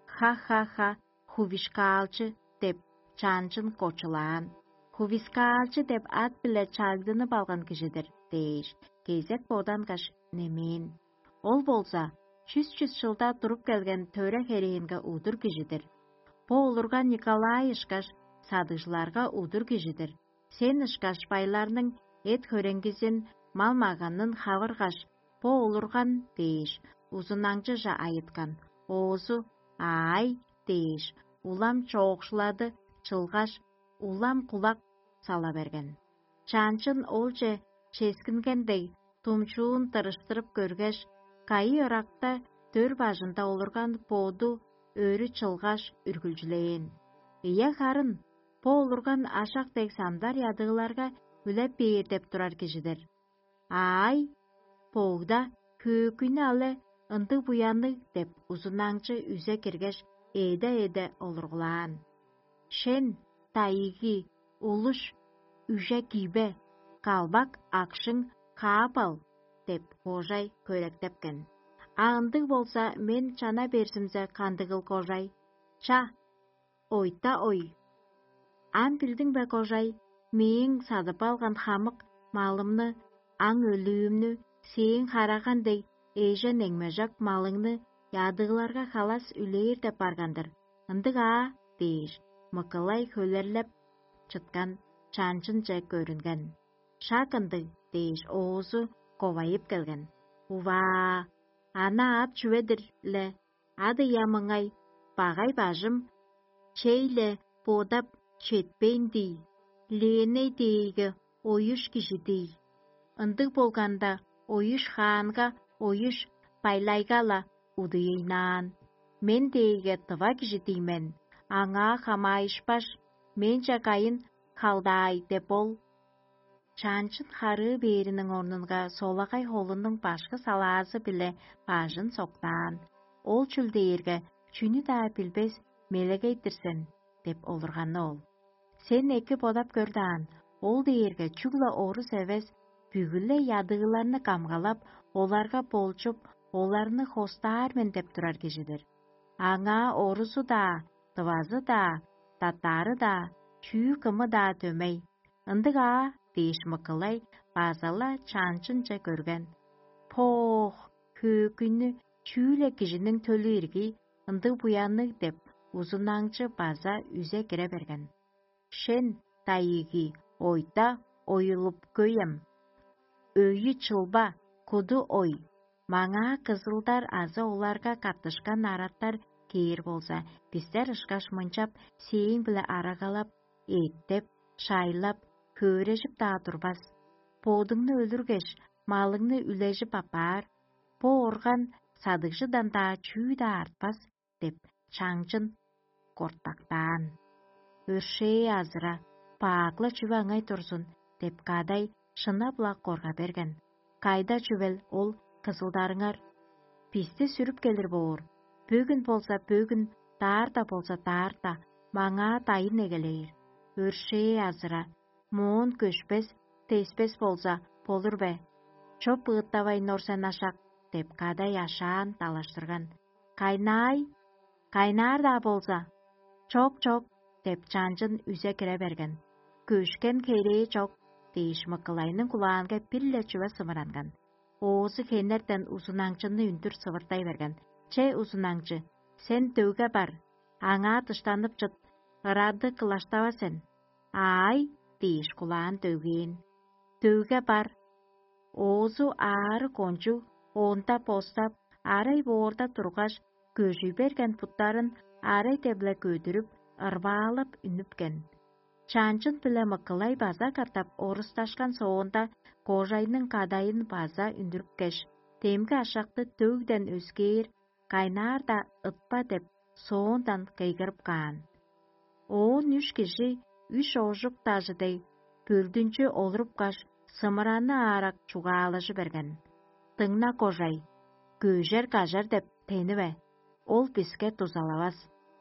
«Ха-ха-ха, хувишкаалчы!» — деп, чаанчын кочулаан. «Хувишкаалчы деп ат-биле чагдынып алган кижи-дир» — дээш, кезек бодангаш немээн. Ол болза чүс-чүс чылда туруп келген төре херээнге удур кижи-дир. Бо олурган Николай ышкаш садыгжыларга удур кижи-дир. Сен ышкаш байларның эт-хөреңгизин, мал-маганын хавыргаш, бо олурган дээш, узунаңчыже айыткан. Оозу: «Аай» дээш, улам чоокшулады чылгаш, улам кулак сала берген. Чаанчын олче ческинген дег, думчуун тырыштырып көргеш, кайы ыракта дөр бажында олурган боду өрү чылгаш, үргүлчүлээн. «Ийе, харын, бо олурган ашак дег самдар ядыыларга үлеп бээр деп турар кижи-дир. Аай, богда, хөөкүйнү але, ындыг буянныг» — деп, узунаңчы үзе киргеш, эде-эде олургулаан. «Шен, дайыгы, улуш, үже киибе, калбак, акшың, каап ал» — деп, кожай көректепкен. «А ындыг болза, мен чана берзимзе, кандыгыл, кожай? Ча, ойта ой. Ам билдиң бе, кожай, мээң садып алган хамык малымны, аң өлүүмнү, сээң хараган дег эжен эңмежок малыңны ядыыларга халас үлээр деп барган-дыр. Ындыг аа?» — дээш, Мыкылай хөлерлеп чыткан чанчынче көрүнген. «Шак ындыг» — дээш, оозу ковайып келген. «Уваа, ана ат чүве-дир-ле, ады ям ыңай, багай бажым чей-ле бодап четпейн дий, Лиеней дээйге оюш кижи дий. Ындыг болганда, оюш хаанга, оюш байлайга-ла удуйнаан. Мен дээйге тыва кижи дий мен, аңаа хамаайышпаш, менче кайын халдаай деп ол». Чаанчын харыы бээриниң орнунга солагай холунуң башкы салаазы-биле бажын соктаан. «Ол чүл дээрге, чүнү-даа билбес мелегей-дир сен» — деп олурганы ол. «Сен эки бодап көр даан, ол дээрге чүгле орус эвес, бүгү-ле ядыыларны камгалап, оларга болчуп, оларны хостаар мен деп турар кижи-дир. Аңаа орузу-даа, тывазы-даа, татаары-даа, чүү кымы-даа дөмей. Ындыг аа» — дээш, Мыкылай база-ла чаанчынче көрген. «Поох, хөөкүйнү, чүү-ле кижиниң төлү иргий, ындыг буянныг» — деп, узунаңчы база үзе кире берген. «Шен, дайыгы, ойта, оюлуп көй ам. Өйү чылба, куду ой. Маңаа кызылдар азы оларга каттышкан араттар кээр болза, бистер ышкаш мынчап сээң-биле арагалап, эттеп, шайлап, хөөрежип-даа турбас. Бодуңну өлүргеш, малыңны үлежип аппаар, бо орган садыгжыдан-даа чүү-даа артпас» — деп, чаңчын кортактаан. «Өршээ азыра, бак-ла чүве ыңай турзун» — деп, кадай шынап-ла корга берген. «Кайда чүвел ол кызылдарыңар? Бисти сүрүп келир боор. Бөгүн болза бөгүн, даарда болза даарда, маңаа дайын эгелээр. Өршээ азыра, моон көшпес, теспес болза, болур бе? Чоп ыыттавайн ор сен ашак» — деп кадай ашаан далаштырган. «Кайнаай? Кайнаар-даа болза?» «Чок, чок» — деп чанчын үзе кире берген. «Көшкен херээ чок» — дээш, мыкылайның кулаанга бир-ле чүве сымыранган. Оозу хенертен узунаңчыны үндүр сывыртай берген: «Че, узунаңчы, сен дөгге бар, аңаа дыштанып чыт, ырады кылаштава сен». «Аай» — дээш, кулаан дөггээн. Дөгге бар. Оозу аарыг кончуг, оонда постап, арай боорда тургаш, көжүй берген буттарын арай-дебле көдүрүп, ырбаалап үнүпкен. Чанчын-биле мыкылай база катап орусташкан соонда, кожайның кадайын база үндүрүпкеш, демги ашакты дөгден өскээр, кайнаар-даа ытпа деп, соондан кыйгырып каан. Оон үш кижи үш оожук дажы дег бөлдүнчү олурупкаш, сымыраны аарак чугаалажы берген: «Дыңна, кожай, көжер-кажар деп тениве, ол биске дузалавас.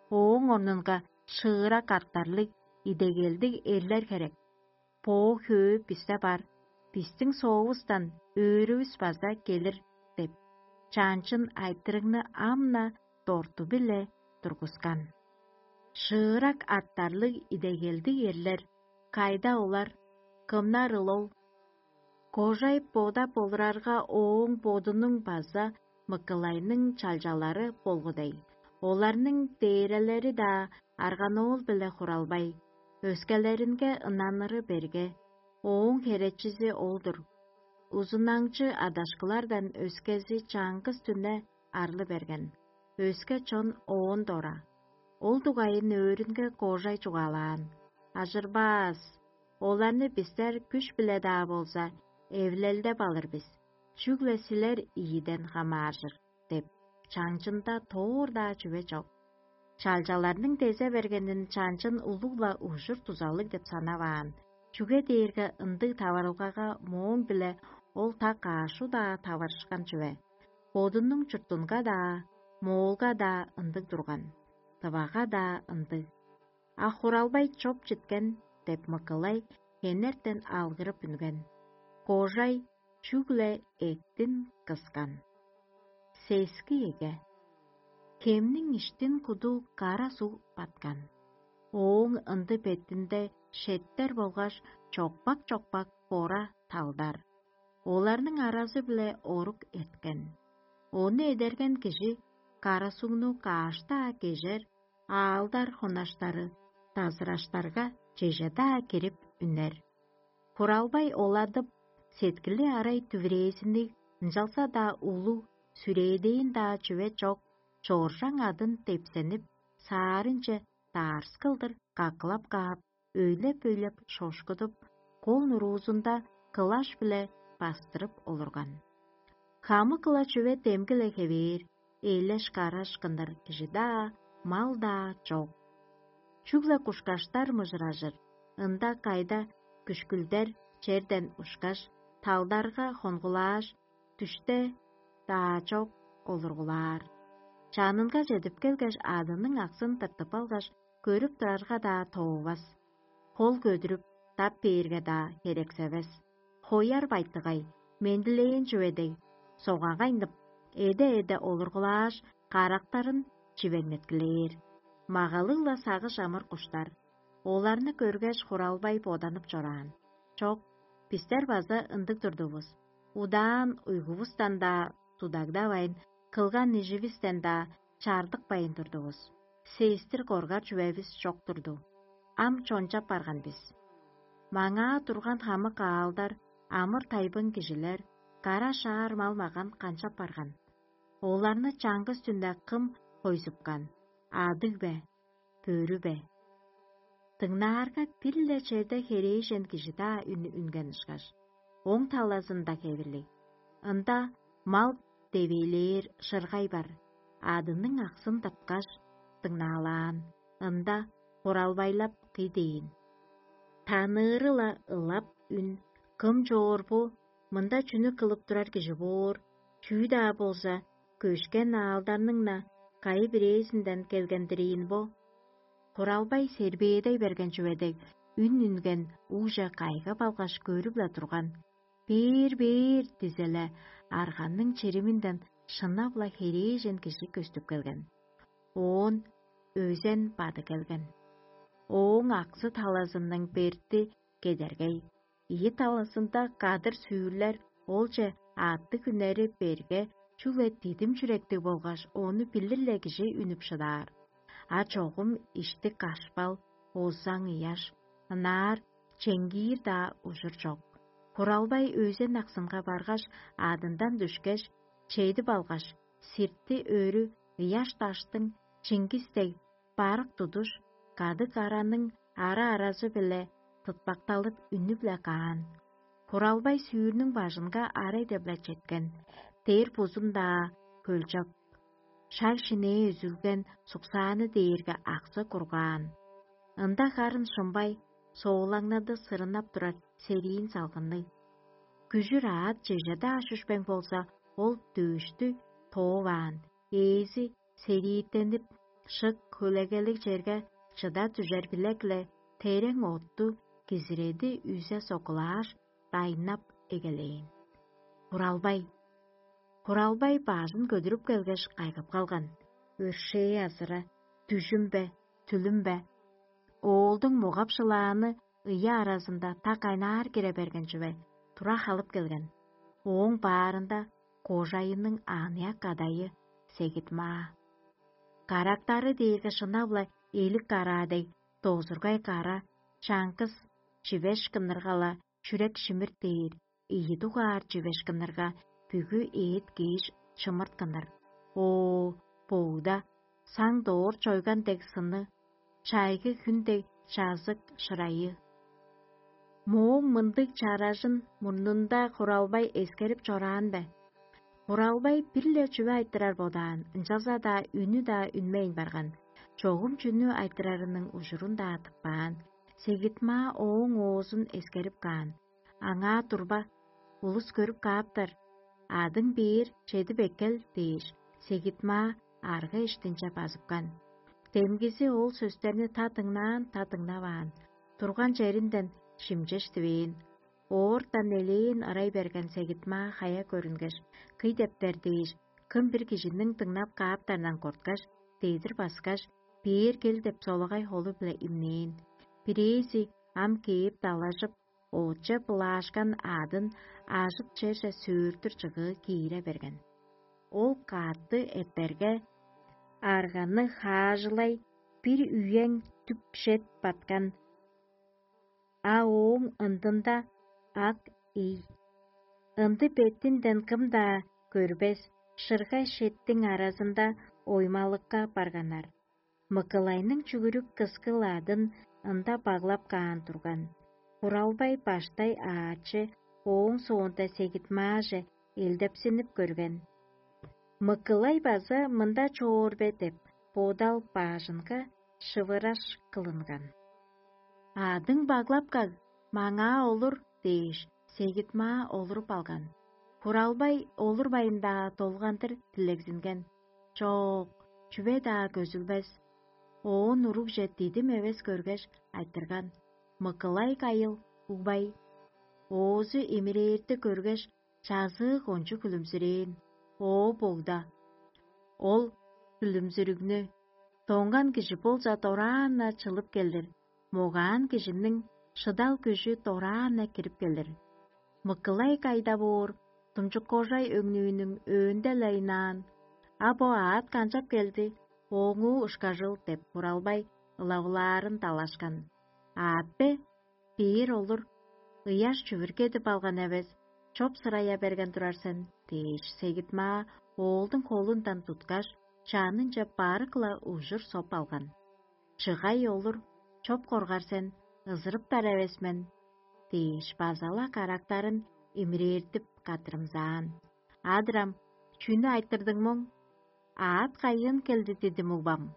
Ооң орнунга шыырак артарлыг, идегелдиг эрлер херек. Боо хөө бисте бар, бистиң соовустан өөрүвүс база келир» — деп, чаанчын айтырыгны ам-на дорту-биле тургускан. Шыырак артарлыг идегелдиг эрлер кайда олар? Кымнарыл ол? Кожай бода болурарга, ооң бодунуң база мыкылайның чалчалары болгу дег. Оларның дээрелери-даа арганоол-биле хуралбай, өскелеринге ынаныры берге, ооң херечизи ол-дур. Узунаңчы адашкылардан өскези чаңгыс дүне арлы берген, өске чон оон дора. Ол дугайын өөрүнге кожай чугаалаан: «Ажырбаас, оларны бистер күш-биле-даа болза, эвилелдеп алыр бис, чүгле силер ийиден хамааржыр» — деп, чаңчында тоор-даа чүве чок. Чалчаларның дезе бергенин чанчын улуг-ла ужур-дузалыг деп санаваан, чүге дээрге ындыг таварылгага мооң-биле ол так каш удаа таварышкан чүве. Бодунуң чуртунга-даа, моолга-даа ындыг турган, тывага-даа ындыг. А хуралбай чоп читкен деп мыкылай хенертен алгырып үнген. Кожай чүгле эктин кыскан. Сески эге. Хемниң иштин куду кара суг баткан. Ооң ынды бетинде шеттер болгаш чокпак-чокпак бора талдар. Оларның аразы-биле орук эрткен. Ону эдерген кижи кара сугну кааш-даа кежер, аалдар хонаштары дазыраштарга чеже-даа кирип үнер. Хуралбай оладып, сеткили арай дүврээзинниг, ынчалза-даа улуг, сүрээдээн-даа чүве чок, чоржаң адын депсенип, саарынче даарскылдыр какылап каап, өйлеп-өйлеп шошкудуп, кол нуруузунда кылаш-биле бастырып олурган. Хамык-ла чүве демги-ле хевээр, эйлеш-караш кынныр кижи-даа, мал-даа чок. Чүгле кушкаштар мыжыражыр, ында кайда күшкүлдер черден ушкаш, талдарга хонгулааш, дүште-даа чок олургулаар. Чанынга чедип келгеш, адының аксын тыртып алгаш, көрүп турарга-даа тоовас. Хол көдүрүп, тап бээрге-даа херексевес. Хояр байтыгай, мендилээн чүве дег, согагайнып, эде-эде олургулааш, карактарын чивеңнеткилээр. Магалыг-ла сагыш амыр куштар. Оларны көргеш, хуралбай боданып чораан: «Чок, бистер база ындыг турдувус. Удаан уйгувустан-даа тудагдавайн, кылган иживистен-даа чаардыкпайн турдувус. Сестир коргар чүвевис чок турду. Ам чончап барган бис. Маңаа турган хамык аалдар, амыр-тайбың кижилер, кара-шаар мал-маган канчап барган? Оларны чаңгыс дүнде кым хойзупкан? Адыг бе? Бөрү бе?» Дыңнаарга, бир-ле черде херээжен кижи-даа үн үнген ышкаш, оң талазында хевирлиг. Ында мал девээлээр шыргай бар, адының аксын тырткаш, дыңнаалаан, ында хоралбайлап кый дээн. Таныыры-ла ылап үн: «Кым чоор бо? Мында чүнү кылып турар кижи боор? Чүү-даа болза, көшкен аалдарның-на кайы бирээзинден келген-дир ийин бо?» Хуралбай сербээдей берген чүве дег, үн үнген угже кайгап алгаш көрүп-ла турган. «Бээр, бээр!» — дизеле, арганның чириминден шынап-ла херээжен кижи көстүп келген. Оон өзен бады келген. Ооң аксы талазының берти кедергей, ийи талазында кадыр сүүрлер олче аъттыг үнери берге, чүгле дидим чүректиг болгаш ону билир-ле кижи үнүп шыдаар. А чогум иштик кашпал, озаң ыяш, ынаар чеңгиир-даа ужур чок. Хуралбай өзен аксынга баргаш, адындан дүшкеш, чедип алгаш, сирти өрү ыяш даштың чиңгис дег барык тудуш, кадыг араның ара-аразы-биле тытпакталып үнүп-ле каан. Хуралбай сүүрнүң бажынга арай деп-ле четкен, дээр бузун-даа хөлчок, шаг-шинээ үзүлген суксааны дээрге аксы кургаан. Ында харын шымбай, соолаңнады сырынап турар сериин салгынныг. Күжүр аът чеже-даа шүшпең болза, ол дөөштү тооваан, ээзи серииттенип, шык хөлегелиг черге чыда дүжер билек-ле терең отту кизиреди үзе сокулааш, дайнап эгелээн. Хуралбай. Хуралбай бажын көдүрүп келгеш, кайгап калган. Өршээ азыра, дүжүм бе, түлүм бе? Оолдуң могап-шылааны ыя аразында та кайнаар кире берген чүве тура халып келген. Ооң баарында кожайының аныяк кадайы Сегит-Маа. Карактары дээрге шынап-ла элик караа дег, дозургай кара, чаңгыс чивеш кынныргала чүрек шимир дээр, ийи дугаар чивеш кыннырга бүгү эът кээш чымырт кынныр. Оо, боуда, саң доор чойган дег сыны, чайгы хүн дег чазык шырайы. Мооң мындыг чаражын мурнунда Хуралбай эскерип чораан бе? Хуралбай бир-ле чүве айтырар бодаан, ынчалза-даа үнү-даа үнмейн барган. Чогум чүнү айтырарының ужурун-даа тыппаан. Сегит-Маа ооң оозун эскерип каан. Аңаа турба, улус көрүп кааптар, адың бээр чедип эккел дээш, Сегит-Маа арга иштинче базыпкан. Демгизи ол сөстерни та дыңнаан, та дыңнаваан, турган черинден шимчеш дивээн. Оортан элээн ырай берген Сегит-Маа хая көрүнгеш, кый дептер дээш, кым бир кижиниң дыңнап кааптарындан корткаш, дедир баскаш, бээр кел деп солагай холу-биле имнээн. Бирээзи ам кээп далажып, ооча былаашкан аъдын ажыт черже сөөртүр чыгыы киире берген. Ол каътты эптерге, арганы хаажылай бир үең дүк шет баткан, а ооң ындында ак ий. Ынды беттинден кым-даа көрбес, шыргай шеттиң аразында оймалыкка барганнар. Мыкылайның чүгүрүк кыскыл адын ында баглап каан турган. Хуралбай баштай аачы, ооң соонда Сегит-Мааже элдепсинип көрген. Мыкылай база мында чоор бе деп, бодал баажынга шывыраш кылынган. «Адың баглап каг, маңаа олур» — дээш, Сегит-Маа олуруп алган. Хуралбай олурбайн-даа долгандыр дилегзинген. «Чок, чүве-даа көзүлбес». Оон уругже дидим эвес көргеш, айтырган: «Мыкылай кайыл, угбай». Оозу эмирээрти көргеш, чазыы кончуг хүлүмзүрээн. Оо, богда! Ол хүлүмзүрүгнү доңган кижи болза дораан-на чылып келир, могаан кижиниң шыдал күжү дораан-на кирип келир. Мыкылай кайда боор, думчуккожай өңнүүнүң өөнде-ле ынаан: «А бо аът канчап келди, ооңуу ышкажыл?» — деп, Хуралбай ылавылаарын далашкан. «Аът бе? Бээр олур, ыяш чүвүр кедип алган эвес, чоп-сырая берген турар сен» — дээш, Сегит-Маа оолдуң холундан туткаш, чанынче барык-ла ужур соп алган. «Чыгай олур, чоп коргар сен, ызырыптар эвес мен» — дээш, база-ла карактарын имиреертип каттырымзаан. «Адырам, чүнү айтырдың моң? Аът кайыын келди дидим, угбам?»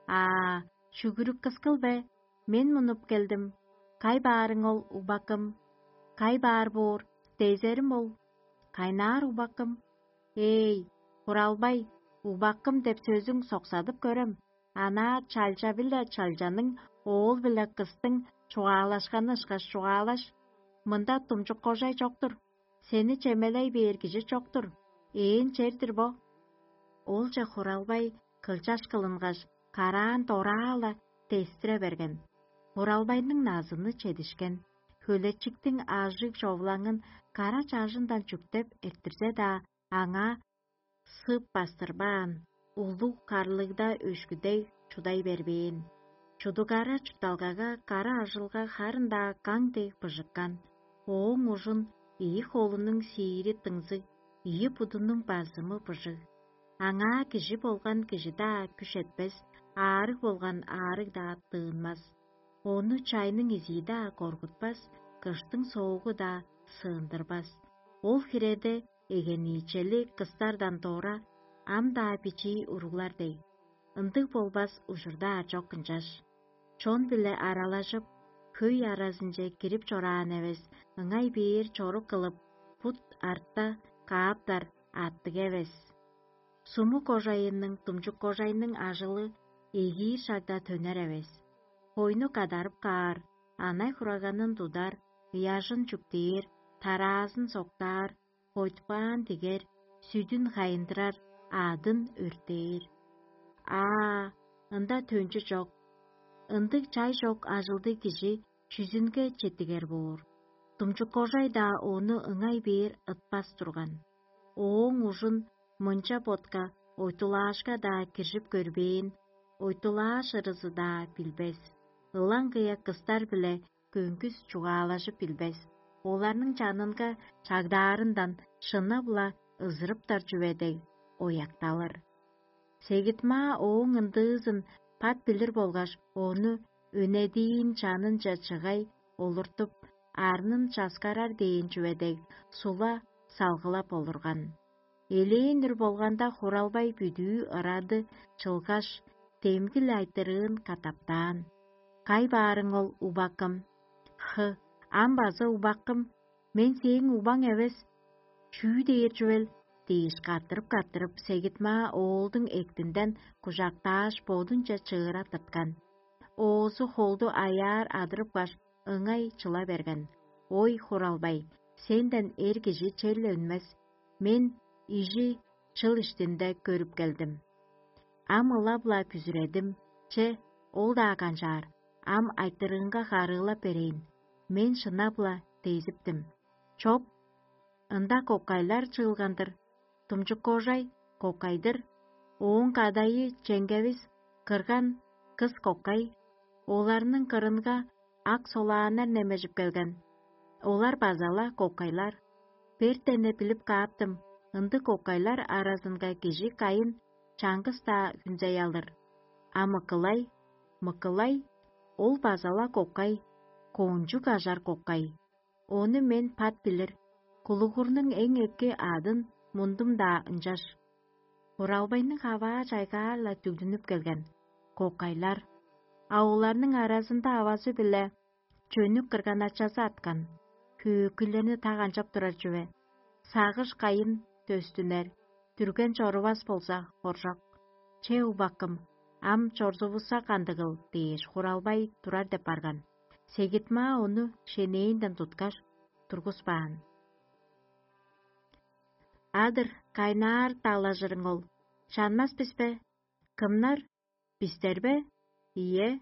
«Аа, чүгүрүк кыскыл бе? Мен мунуп келдим. Кай баарың ол, угбакым? Кай баар боор, дезерим ол. Кайнаар, угбакым?» «Эй, Хуралбай, угбакым деп сөзүң соксадып көрем. Анаа чалча-биле чалчаның, оол-биле кыстың чугаалашканы ышкаш чугаалаш: «Мында думчук-кожай чок-тур, сени чемелей бээр кижи чок-тур, ээн чер-дир бо». Олче Хуралбай кылчаш кылынгаш, караан дораала дестире берген. Хуралбайның назыны чедишкен, хөлечиктиң ажыг човлаңын кара чажындан чүктеп эрттирзе-даа, аңаа сып бастырбаан, улуг карлыгда өшкүдей чудай бербээн. Чудугара чуртталгага кара ажылга харын-даа каң дег быжыккан, ооң ужун ийи холунуң сиири дыңзыг, ийи будунуң базымы быжыг. Аңаа кижи болган кижи-даа күш этпес, аарыг болган аарыг-даа тыынмас. Ону чайның изии-даа коргутпас, кыштың соогу-даа сыындырбас. Ол хиреде эгениичели кыстардан дора, ам-даа бичии уруглар дег. Ындыг болбас ужурда аажок ынчаш. Чон-биле аралажып, хөй аразынче кирип чораан эвес, ыңай бээр чорук кылып, бут артта кааптар аттыг эвес. Сумук кожайының, думчук кожайның ажылы эгиир шагда төнер эвес. Хойну кадарып каар, анай-хураганын тудар, ыяжын чүктээр, тараазын соктаар, хойтпаан дигер, сүдүн хайындырар, адын өртээр. Аа, ында төнчү чок. Ындыг чай чок ажылдыг кижи чүзүнге четтигер боор. Думчук кожай-даа ону ыңай бээр ытпас турган. Ооң ужун мынча ботка ойтулаашка-даа киржип көрбээн, ойтулааш ырызы-даа билбес. Ылаңгыя кыстар-биле көңгүс чугаалажып билбес. Оларның чанынга чагдаарындан шынап-ла ызырыптар чүве дег оякталыр. Сегит-маа ооң ындыызын пат билир болгаш, ону өнедиин чанынче чыгай олуртуп, арнын часкарар дээн чүве дег, сула салгылап олурган. Элээн үр болганда, Хуралбай бүдүү ырады чылгаш, демги-ле айтырыын катаптаан: «Кай баарың ол, убакым?» «Хы, ам база убакым, мен сээң убаң эвес, чүү дээр чүвел?» — дээш, каттырып-каттырып, Сегит-маа оолдуң эктинден кужактааш, бодунче чыыра тырткан. Оозу холду аяар адырыпкаш, ыңай чыла берген: «Ой, Хуралбай, сенден эр кижи черле үнмес. Мен ижи чыл иштинде көрүп келдим. Ам ылап-ла бүзүредим. Че, ол-даа канчаар, ам айтырыынга харыылап берейн. Мен шынап-ла дезиптим. Чоп, ында кокайлар чыылган-дыр. Думчук кожай кокай-дыр. Ооң кадайы чеңгевис кырган кыс кокай. Оларның кырынга ак солааннар немежип келген. Олар база-ла кокайлар. Бертен-не билип кааптым, ындыг кокайлар аразынга кижи кайын чаңгыс-даа хүнзей алыр. А мыкылай, мыкылай, ол база-ла кокай, кончуг ажар кокай. Ону мен пат билир, кулугурнуң эң эки адын мундум-даа ынчаш». Хуралбайның хаваа чайгаар-ла дүгдүнүп келген: «Кокайлар». А оларның аразында авазы-биле чөнүк кырган-ачазы арткан, хөөкүйлерни так анчап турар чүве. Сагыш кайын дөстүнер, дүрген чорувас болза, хоржок. «Че, убакым, ам чорзувусса кандыгыл?» — дээш, Хуралбай турар деп барган. Сегит-маа ону шенээнден туткаш, тургуспаан. «Адыр, кайнаар далажырың ол, чанмас бис бе?» «Кымнар? Бистер бе?» «Ийе».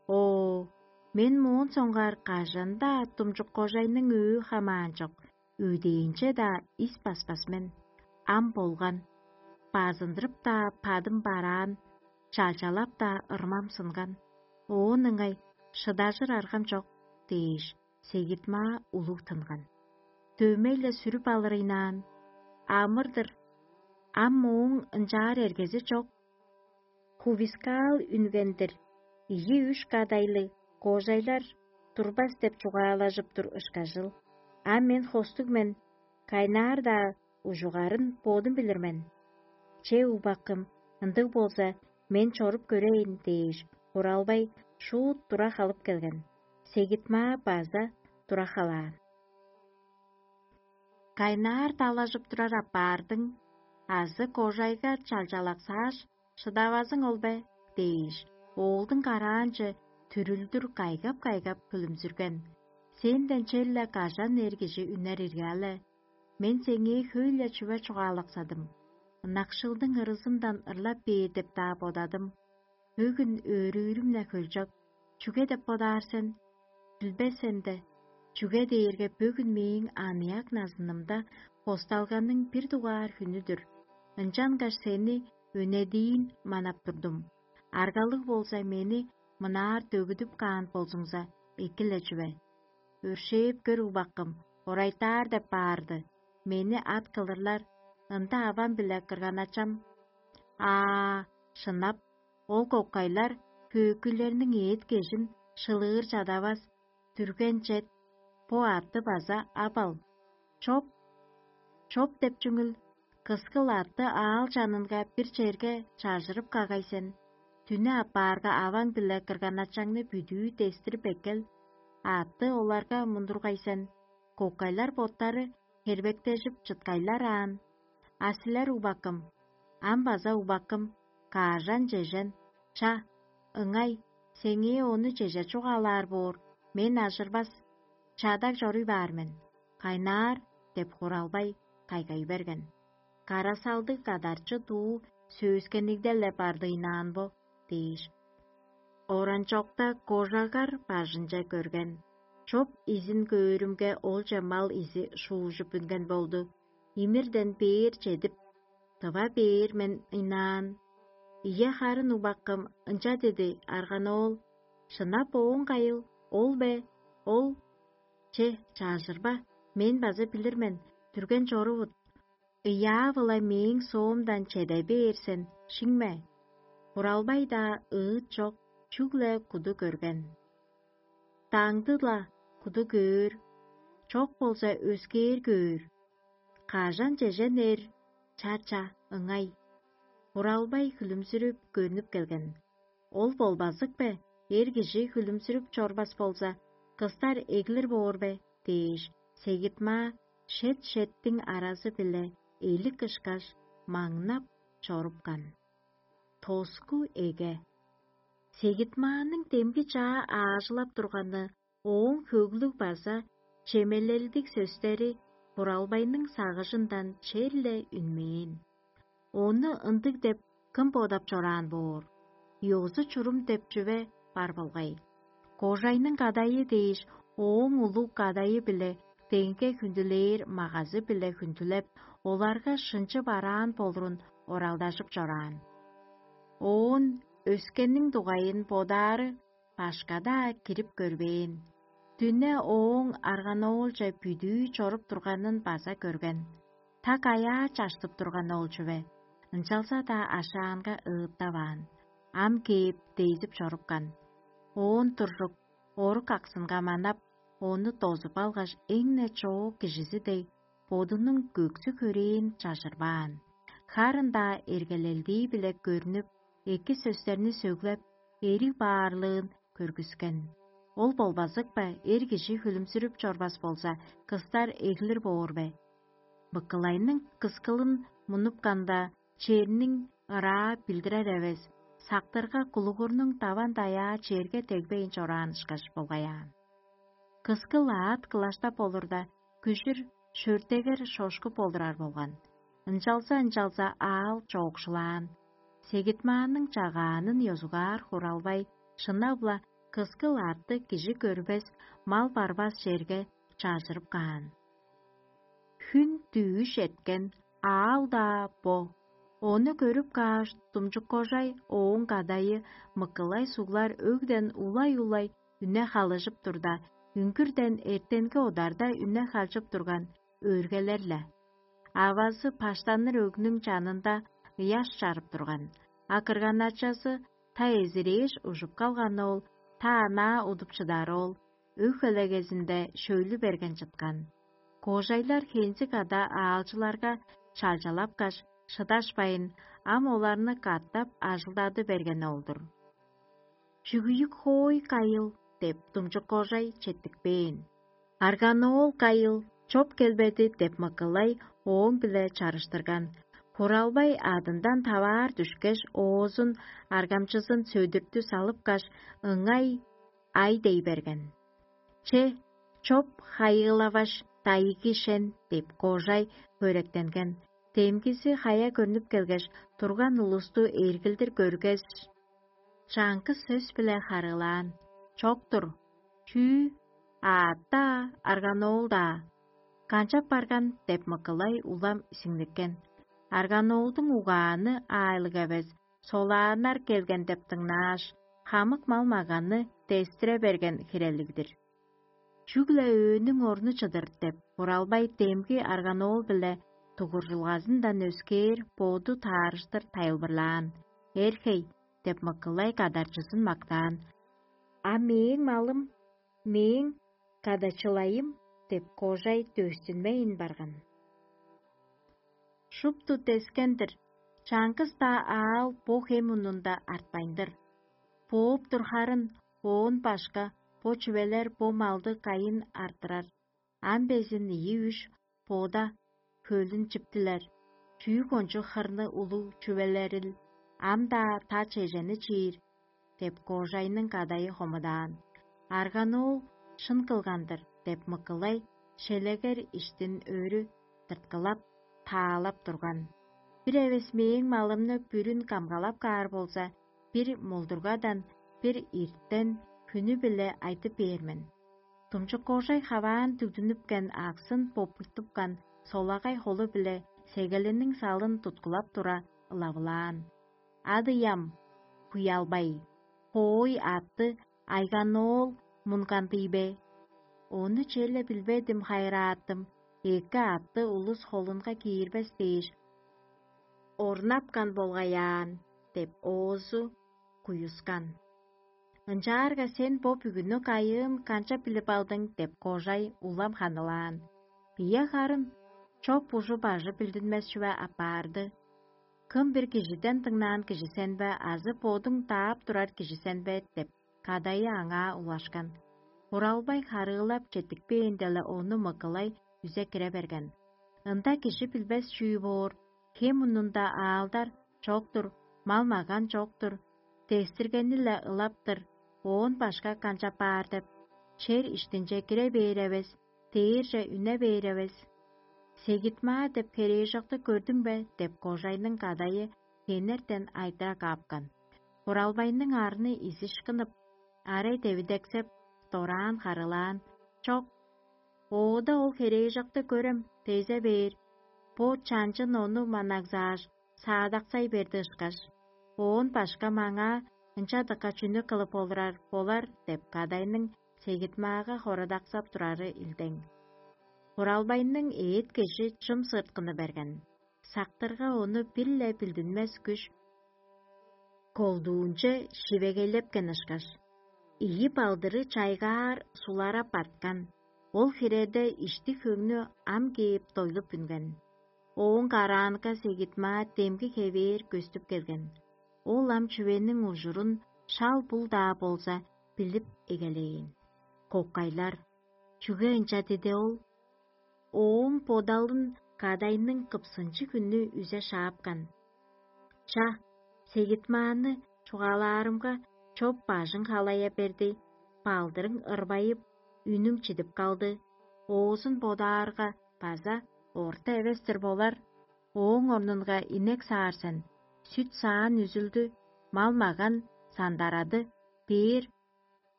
«Оо, мен моон соңгаар кажан-даа Думчук кожайның өө хамаан чок, өдээнче-даа ис баспас мен. Ам болган. Базындырып-даа бадым бараан, чалчалап-даа ырмам сынган. Оон ыңай шыдажыр аргам чок» — дээш, Сегит-маа улуг тынган. Дөмей-ле сүрүп алырыйнаан: «Амыр-дыр, ам мооң ынчаар эргези чок. Хувискаал үнген-дир, ийи-үш кадайлыг кожайлар турбас деп чугаалажып тур ышкажыл. А мен хостуг мен, кайнаар-даа ужугарын бодум билир мен. Че, убакым, ындыг болза, мен чоруп көрейн» — дээш, Хуралбай шуут тура халып келген. Сегит-маа база тура халаан. «Кайнаар далажып турар апаардың азы кожайга чалчалаксааш, шыдавазың ол бе?» — дээш, оолдуң караанче түрүлдүр кайгап-кайгап хүлүмзүрген: «Сенден черле кажан эр кижи үнер ирге-ле? Мен сеңээ хөй-ле чүве чугаалаксадым. Ынакшылдың ырызындан ырлап бээр деп-даа бодадым. Бөгүн өөрүүрүм-не хөлчок. Чүге деп бодаар сен? Билбес сен де, чүге дээрге бөгүн мээң аныяк назынымда хосталганың бир дугаар хүнү-дүр. Ынчангаш сени өнедиин манап турдум. Аргалыг болза, мени мынаар дөгүдүп каан болзуңза, эки-ле чүве. Өршээп көр, убаккым, орайтаар деп баарды. Мени ат кылырлар, ында авам биле кырганачам. Аа, шынап, ол кокайлар хөөкүйлерниң эът-кежин шылыыр чадавас, дүрген чет, бо атты база ап ал. Чоп, чоп деп чүңүл, кыскыл атты аал чанынга бир черге чажырып кагай сен. Дүне аппаарга аваң-биле кырганачаңны бүдүү дестирип эккел, атты оларга мундургай сен. Кокайлар боттары хербектежип чыткайлар аан. А силер, убаккым, ам база убаккым, каажан-чежен, ча, ыңай, сеңээ ону чеже чугаалаар боор, мен ажырбас, чадаг чоруй баар мен. Кайнаар деп хуралбай кайгай берген. Карасалдыг кадарчы дуу сөөскеннигде-ле бардыйнаан бо дээш. Оранчокта кожагар бажынче көрген. Чоп изин көөрүмге, олче мал изи шуужуп үнген болду. Имирден бээр чедип, тыва бээр мен ыйнаан. Ийе, харын убаккым, ынча деди арганоол. Шынап ооң кайыл, ол бе? Ол: «Че, чажырба, мен база билир мен, дүрген чорувут. Ыяа-вылай мээң соомдан чеде бээр сен, шиңме». Буралбай-даа ыыт чок, чүгле куду көрген. Даңды-ла куду көөр, чок болза, өскээр көөр. Кажан чежен эр, ча-ча, ыңай. Буралбай хүлүмзүрүп көрнүп келген. Ол болбазык бе? Эр кижи хүлүмзүрүп чорбас болза, кыстар эглир боор бе? Дээш, сегитмаа шет-шеттиң аразы-биле элик ышкаш, маңнап чорупкан. Тоску эге. Сегитмааның демги чаа аажылап турганы, ооң хөглүг база чемелелдиг сөстери Буралбайның сагыжындан черле үнмээн. Ону ындыг деп кым бодап чораан боор? Ёзу-чурум деп чүве бар болгай. Кожайның кадайы дээш, ооң улуг кадайы-биле деңге хүндүлээр магазы-биле хүндүлеп, оларга шынчы бараан болурун оралдажып чораан. Оон өскенниң дугайын бодаары башка-даа кирип көрбээн. Дүне ооң арганоолче бүдүү чоруп турганын база көрген. Так аяа чаштып турган ол чүве, ынчалза-даа ашаанга ыыттаваан. Ам кээп, дейзип чорупкан. Оон туржук, орук аксынга манап, ону дозуп алгаш, эң-не чоок кижизи дег, бодунуң көксү-хөрээн чажырбаан. Харын-даа эргелелдии-биле көрнүп, эки сөстерни сөглеп, эриг баарлыын көргүскен. Ол болбазык бе, эр кижи хүлүмзүрүп чорбас болза, кыстар эглир боор бе? Быкылайның кыскылын мунупканда, черниң ыраа билдирер эвес, сактырга кулугурнуң даван-даяа черге дегбейн чораан ышкаш болгаяан. Кыскыл аът кылаштап олурда, күжүр шөртегер шошкуп олурар болган. Ынчалза-ынчалза аал чоокшулаан. Сегитмааның чагаанын ёзугаар хуралбай, шынап-ла, кыскыл аътты кижи көрбес, мал барбас черге чажырып каан. Хүн дүъш эрткен, аал-даа бо. Ону көрүп кааш, думчук кожай, ооң кадайы Мыкылай суглар өгден улай-улай үне халыжып турда, үңгүрден эртенги одарда үне халчып турган өөргелер-ле. Авазы баштаныр өгнүң чанында ыяш чарып турган, а кырган-ачазы та эзирээш ужуп калган ол, та анаа удуп чыдар ол, өг-хөлегезинде шөйлү берген чыткан. Кожайлар хензиг ада аалчыларга чалчалапкаш, шыдашпайн, ам оларны катап ажылдады берген ол-дур. «Чүгүйүк хоой кайыл?» — деп, думчук кожай четтикпээн. «Арганоол кайыл, чоп келбеди?» — деп, Мыкылай ооң-биле чарыштырган. Хуралбай адындан таваар дүшкеш, оозун, аргамчызын сөдүртү салыпкаш, ыңай ай дей берген. Че, чоп хайыылаваш, дайыгы шен деп кожай хөректенген. Демгизи хая көрнүп келгеш, турган улусту эргилдир көргеш, чаңгыс сөс-биле харыылаан: «Чок-тур, чүү, аът-даа, арганоол-даа. Канчап барган?» — деп Мыкылай улам сиңниккен. Арганоолдуң угааны аайлыг эвес, солааннар келген деп дыңнааш, хамык мал-маганны дестире берген хирелиг-дир. Чүгле өөнүң орну чыдыр деп, Буралбай демги арганоол-биле дугуржулгазындан өскээр боду таарыштыр тайылбырлаан: «Эрхей!» — деп Мыкылай кадарчызын мактаан. «А мээң малым, мээң кадачылайым» — деп кожай дөстүнмейн барган. Шупту дескен-дир, чаңгыс-даа аал бо хем мурнунда артпайн-дыр. Бооп тур харын, оон башка бо чүвелер бо малды кайын арттырар? Ам безин ийи-үш бода хөлүн чиптилер, чүү кончуг хырны улуг чүвелерил, ам-даа та чежени чиир» — деп кожайның кадайы хомудаан. «Арганоол шын кылган-дыр» — деп Мыкылай шелегер иштин өрү тырткылап, таалап турган. «Бир эвес мээң малымны бүрүн камгалап каар болза, бир молдургадан, бир ирттен хүнү-биле айтып бээр мен». Думчуккожай хаваан дүгдүнүпкен аксын бопуйтупкан солагай холу-биле сегелиниң салын туткулап тура, ылавылаан: «Адыям, Куялбай, хоой атты Айганоол мунган-дый бе? Ону черле билбедим, хайырааттым, эки атты улус холунга киирбес дээш, орнапкан болгай аан» — деп оозу куюскан. «Ынчаарга сен бо бүгүнү кайыын канчап билип алдың?» — деп кожай улам ханылаан. «Бия харын чоп ужу-бажы билдинмес чүве апарды. Кым бир кижиден дыңнаан кижи сен бе азы бодуң даап турар кижи сен бе?» — деп кадайы аңаа улашкан. Буралбай харыылап четтикпээн-деле ону Мыкылай үзе кире берген. «Ында кижи билбес чүү боор, хем мурнунда аалдар чок-тур, мал-маган чок-тур, дестиргени-ле ылап-тыр, оон башка канчап баар деп, чер иштинче кире бээр эвес, дээрже үне бээр эвес. Сегит-маа деп херээжокты көрдүң бе?» — деп кожайның кадайы хенертен айтыра каапкан. Буралбайның арны изиш кынып, арай девидексеп, дораан харыылаан: «Чок, оода ол херээжокты көрем, дезе бээр, бо чанчын ону манагзааш, саадаксай берди ышкаш. Оон башка маңаа ынча дыка чүнү кылып олурар болар?» — деп кадайның сегит-маага хорадаксап турары илдең. Буралбайның эът-кежи чым сырткыны берген. Сактырга ону бир-ле билдинмес күш колдуунче шивегейлепкен ышкаш, ийи балдыры чайгаар сулара барткан. Ол хиреде ишти-хөңнү ам кээп дойлуп үнген. Ооң караанга сегит-маа демги хевээр көстүп келген. Ол ам чүвениң ужурун шал бул-даа болза билип эгелээн. Кокайлар: «Чүге ынча диди ол?» Ооң бодалын кадайның кыпсынчыг үнү үзе шаапкан. «Ча, сегит-мааны чугаалаарымга, чоп бажың халая берди, балдырың ырбайып, үнүң чидип калды. Оозун бодаарга, база орта эвес-тир болар. Ооң орнунга инек саар сен, сүт-саан үзүлдү, мал-маган сандарады, бээр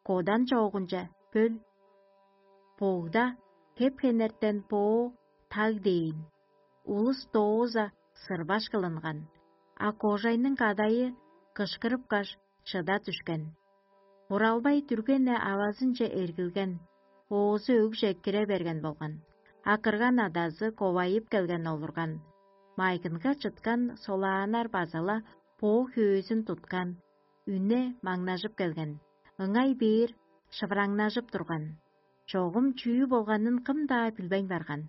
кодан чоогунче бөл. Богда хеп-хенертен боо таг дээн, улус дооза сырбаш кылынган, а кожайның кадайы кышкырыпкаш, шыда дүшкен. Буралбай дүрген-не авазынче эргилген, оозу өгже кире берген болган, а кырган адазы ковайып келген олурган. Майгынга чыткан солааннар база-ла боо хөөзүн туткан, үне маңнажып келген, ыңай бээр шывыраңнажып турган. Чогум чүү болганын кым-даа билбейн барган.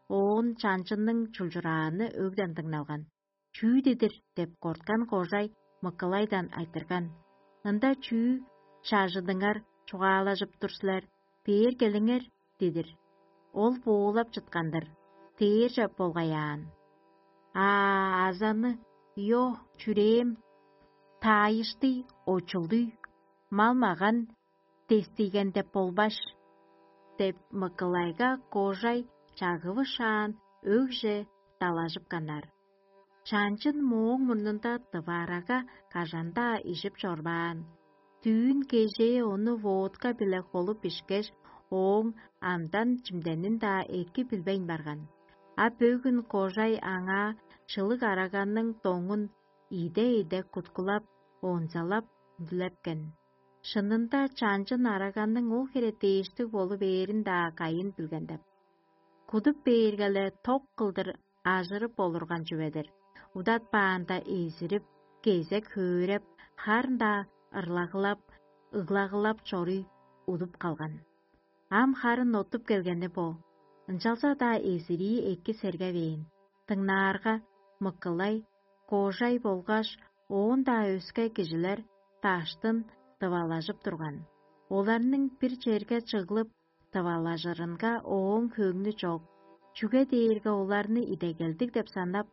Оон чанчынның чулчурааны өгден дыңналган. «Чүү дидир?» — деп корткан кожай Мыкылайдан айтырган: «Ында чүү чажыдыңар чугаалажып тур силер? Бээр келиңер» — дидир. Ол боолап чыткан-дыр, дээрже болгаяан. А азаны, йо, чүрээм, таайыштый, очулдуй, мал-маган дестиген деп болбаш» — деп, Мыкылайга кожай чагывышаан өгже далажыпканнар. Чанчын мооң мурнунда дыварага кажан-даа ижип чорбаан. Дүүн кежээ ону водка-биле холуп ишкеш, ооң амдан чимденин-даа эки билбейн барган. А бөгүн кожай аңаа шылыг араганның доңун иде-иде куткулап, онзалап, үндүлепкен. Шынында чанчын араганның ол хире дээштиг болу бээрин-даа кайын билген деп. Кудуп бээрге-ле ток кылдыр ажырып олурган чүве-дир. Удатпаанда эзирип, кезек хөөреп, харын-даа ырлагылап, ыглагылап чоруй удуп калган. Ам харын оттуп келгени бо. Ынчалза-даа эзирии эки сергевээн. Дыңнаарга, Мыкылай, кожай болгаш оон-даа өске кижилер даштын дывалажып турган. Оларның бир черге чыглып дывалажырынга ооң хөңнү чок, чүге дээрге оларны идегелдиг деп санап,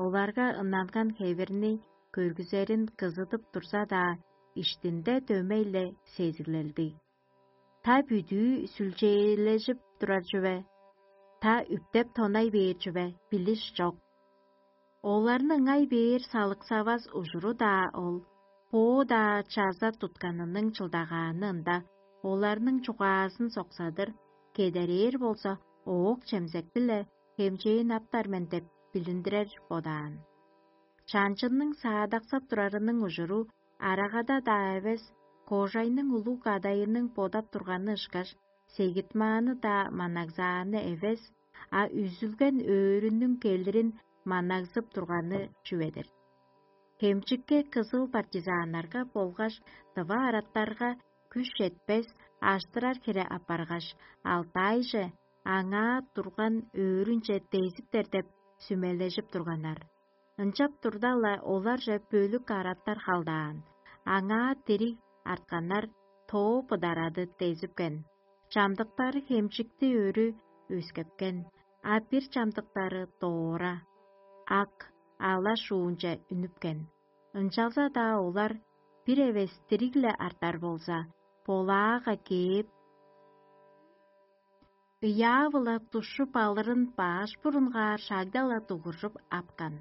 оларга ынанган хевирни көргүзерин кызыдып турза-даа, иштинде дөмей-ле сезиглелди. Та бүдүү сүлчээлежип турар чүве, та үптеп тонай бээр чүве билиш чок. Оларны ыңай бээр салыксавас ужуру-даа ол, боо-даа чаза тутканының чылдагааны ында, оларның чугаазын соксадыр, кедерээр болза, оок чемзек-биле хемчээн аптар мен деп билиндирер бодаан. Чанчынның саадаксап турарының ужуру арагада-даа эвес, кожайның улуг кадайының бодап турганы ышкаш, сегитмааны-даа манагзааны эвес, а үзүлген өөрүнүң келирин манагзып турганы чүве-дир. Хемчикке кызыл партизаннарга болгаш дыва араттарга күш четпес, аштырар хире апаргаш, Алтайже, аңаа турган өөрүнче дезиптер деп сүмележип турганнар. Ынчап турда-ла, оларже бөлүк араттар халдаан, аңаа дириг артканнар тоо быдарады дезипкен. Чамдыктары хемчикти өрү өскепкен, а бир чамдыктары доора, ак, ала шуунче үнүпкен. Ынчалза-даа олар бир эвес дириг-ле артар болза, болаага кээп, ыяа-биле душчуп алырын баш бурунгаар шагда-ла дугуржуп апкан.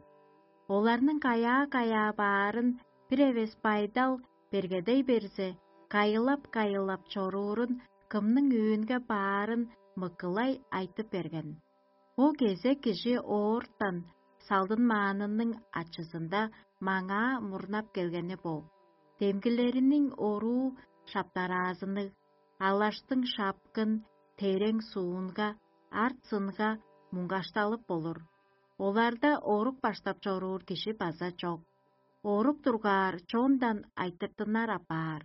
Оларның каяа-каяа баарын бир эвес байдал бергедей берзе, кайылап-кайылап чоруурун, кымның өөнге баарын Мыкылай айтып берген. Бо кезек кижи оортан салдынмаанының ачызында маңаа мурнап келгени бо. Демгилериниң оруу шаптараазынныг, алаштың шапкын, терең суунга, арт-сынга муңгашталып болур. Оларда орук баштап чоруур кижи база чок. Орук тургаар чондан айтыртынар апаар.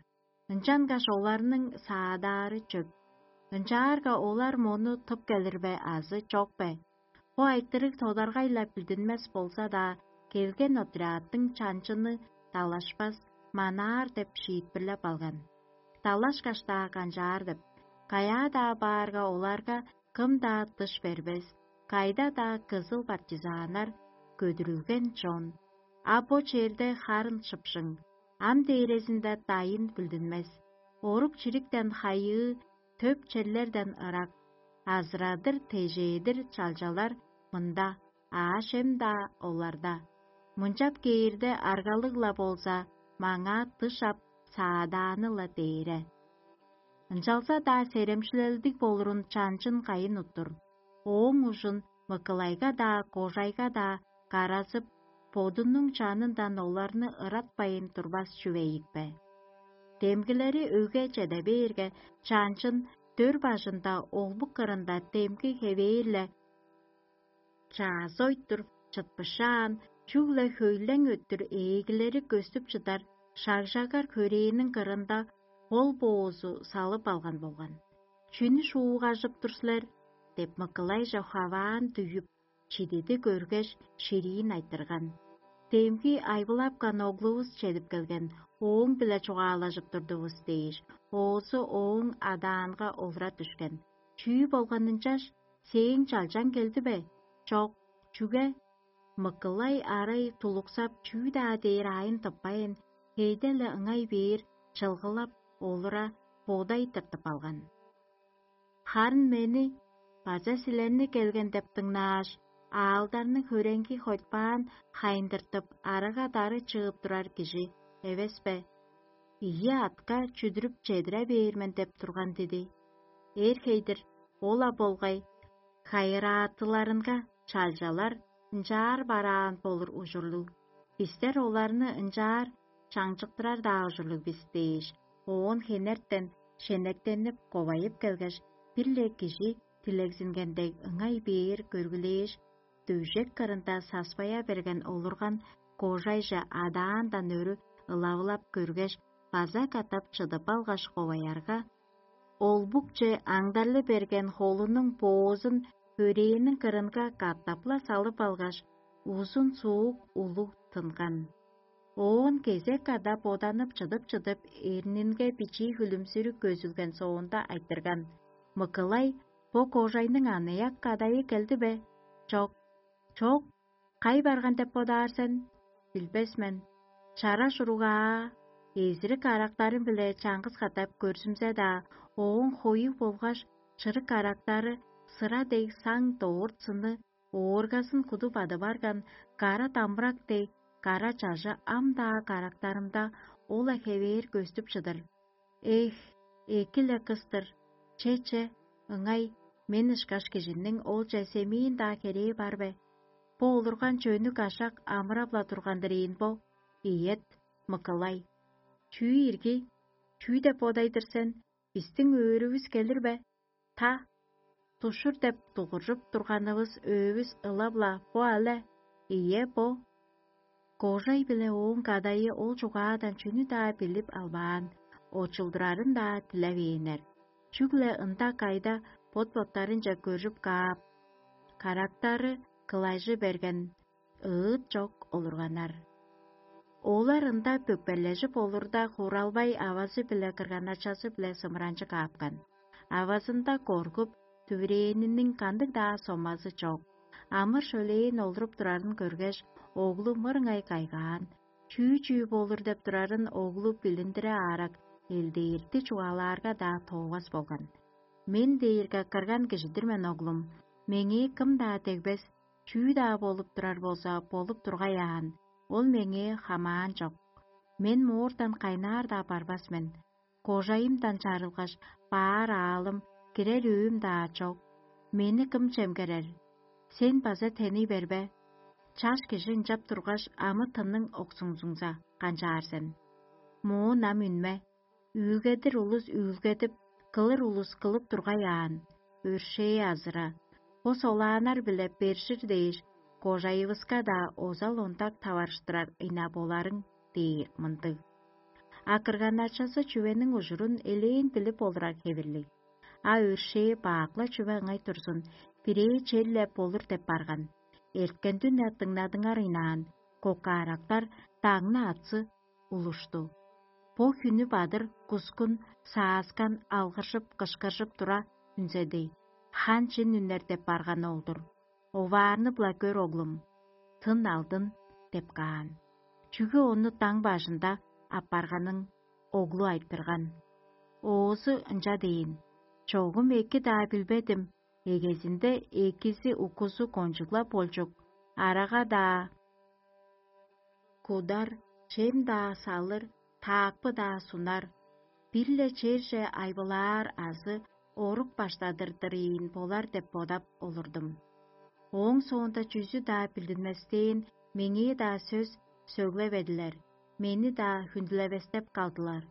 Ынчангаш оларның саадаары чөп. Ынчаарга олар мону тып келир бе азы чок бе? Бо айтырыг тодаргай-ла билдинмес болза-даа, келген отрядтың чанчыны далашпас, манаар деп шиитпирлеп алган. Далашкаш-даа канчаар деп, каяа-даа баарга оларга кым-даа дыш бербес, кайда-даа кызыл партизаннар көдүрүлген чон. А бо черде харын шыпшың, ам дээрезинде дайын билдинмес. Орук-чириктен хайыы, төп черлерден ырак, азырадыр-тежээдир чалчалар мында, аъш-чем-даа оларда. Мынчап кээрде аргалыг-ла болза, маңаа дыш ап, саадааны-ла дээре. Ынчалза-даа серемчилелдиг болурун чанчын кайын уттур. Ооң ужун Мыкылайга-даа, кожайга-даа каразып, бодунуң чанындан оларны ыратпайн турбас чүве ийикпе? Демгилери өге чеде бээрге, чанчын дөр бажында, олбук кырында демги хевээр-ле чаазы ойтур, чытпышаан, чүгле хөйлең өттүр ээгилери көстүп чыдар шагжагар хөрээниң кырында хол боозу салып алган болган. «Чүнү шуугажып тур силер?» — деп, Мыкылайже хаваан дүйүп, чидиди көргеш, шириин айтырган. Демги айбылапкан оглувус чедип келген, ооң-биле чугаалажып турдувус дээш, оозу ооң адаанга олура дүшкен. «Чүү болган ынчаш? Сээң чалчаң келди бе?» «Чок. Чүге?» Мыкылай арай тулуксап, чүү-даа дээр аайын тыппайн, хейде-ле ыңай бээр чылгылап олура, бодай тыртып алган. Харын мени база силерни келген деп дыңнааш, аалдарны хөреңги хойтпаан хайындыртып, арага-дары чыып турар кижи эвес бе? Ийи атка чүдүрүп чедире бээр мен деп турган диди. Эр хейдир, ол-ла болгай, хайыраатыларынга чалчалар ынчаар бараан болур ужурлуг. Бистер оларны ынчаар чаңчыктырар-даа ужурлуг бис дээш, оон хенертен шенектенип ковайып келгеш, бир-ле кижи дилегзинген дег ыңай бээр көргүлээш, дөжек кырында саспая берген олурган кожайже адаандан өрү ылавылап көргеш, база катап чыдып алгаш коваярга, ол букче аңдарлы берген холунуң боозун хөрээниң кырынга катап-ла салып алгаш, узун суук улуг тынган. Оон кезек када боданып чыдып-чыдып, эрнинге бичии хүлүмзүрү көзүлген соонда айтырган: «Мыкылай, бо кожайның аныяк кадайы келди бе?» «Чок». «Чок, кай барган деп бодаар сен?» «Билбес мен. Чара шуругаа, эзирик арактарым-биле чаңгыс катап көрзүмзе-даа, ооң хоюг болгаш чырык арактары сыра дег саң доорт сыны, ооргазын куду бадып арган кара дамбырак дег кара чажы ам-даа карактарымда ол-ла хевээр көстүп чыдыр. Эх, эки-ле кыс-тыр. Че-че, ыңай, мен ышкаш кижиниң олче семиин-даа херээ бар бе? Бо олурган чөнүк ашак амырап-ла турган-дыр ийин бо? Ийет, Мыкылай. Чүү ирги? Чүү деп бодайдыр сен? Бистиң өөрүвүс келир бе? Та, тушур деп дугуржуп турганывыс өөвүс ылап-ла бо але? Ийе, бо». Кожай биле ооң кадайы ол чугаадан чүнү-даа билип албаан, очулдурарын-даа дилевээннер. Чүгле ында кайда бот-боттарынче көржүп каап, карактары кылайжы берген ыыт чок олурганнар. Олар ында бөкперлежип олурда, Хуралбай авазы-биле кырган-ачазы-биле сымыранчы каапкан. Авазында коргуп, дүвирээниниң кандыг-даа сомазы чок. Амыр-шөлээн олуруп турарын көргеш, оглу мырыңай кайгаан. Чүү-чүү болур деп турарын оглу билиндире аарак, элдээрти чугаалаарга-даа тоовас болган. «Мен дээрге кырган кижи-дир мен, оглум. Меңээ кым-даа дегбес, чүү-даа болуп турар болза, болуп тургай аан. Ол меңээ хамаан чок. Мен моортан кайнаар-даа барбас мен. Кожайымдан чарылгаш, баар аалым, кирер өөм-даа чок. Мени кым чемгерер? Сен база теней бербе. Чаш кижи ынчап тургаш, амы-тынның оксуңзуңза канчаар сен? Моон ам үнме. Үүлгедир улус үүлгедип, кылыр улус кылып тургай аан. Өршээ азыра, бо солааннар-биле бержир дээш, кожайывыска-даа озал-онтак таварыштырар ына боларың» – дээр мындыг. А кырган-ачазы чүвениң ужурун элээн билип олурар хевирлиг. А өршээ бак-ла чүве ыңай турзун, бирээ черле болур деп барган. Эрткен дүне дыңнадыңар ыйнаан, кокаарактар даңны атсы улушту. Бо хүнү бадыр кускун, сааскан алгыржып-кышкыржып тура үнзеди. Хан чин үнер деп барганы ол-дур. Оваарны-биле көр, оглум, тын алдын деп каан. Чүге ону даң бажында аппарганын оглу айтырган. Оозу ынча дээн: «Чогум эки-даа билбедим, эгезинде экизи укузу кончуглап болчук, арага-даа кудар, чем-даа салыр, таакпы-даа сунар, бир-ле черже айбылаар азы орук баштадыр-дыр ийин болар деп бодап олурдум. Ооң соонда чүзү-даа билдинместээн, меңээ-даа сөс сөглеведилер, мени-даа хүндүлевестеп калдылар.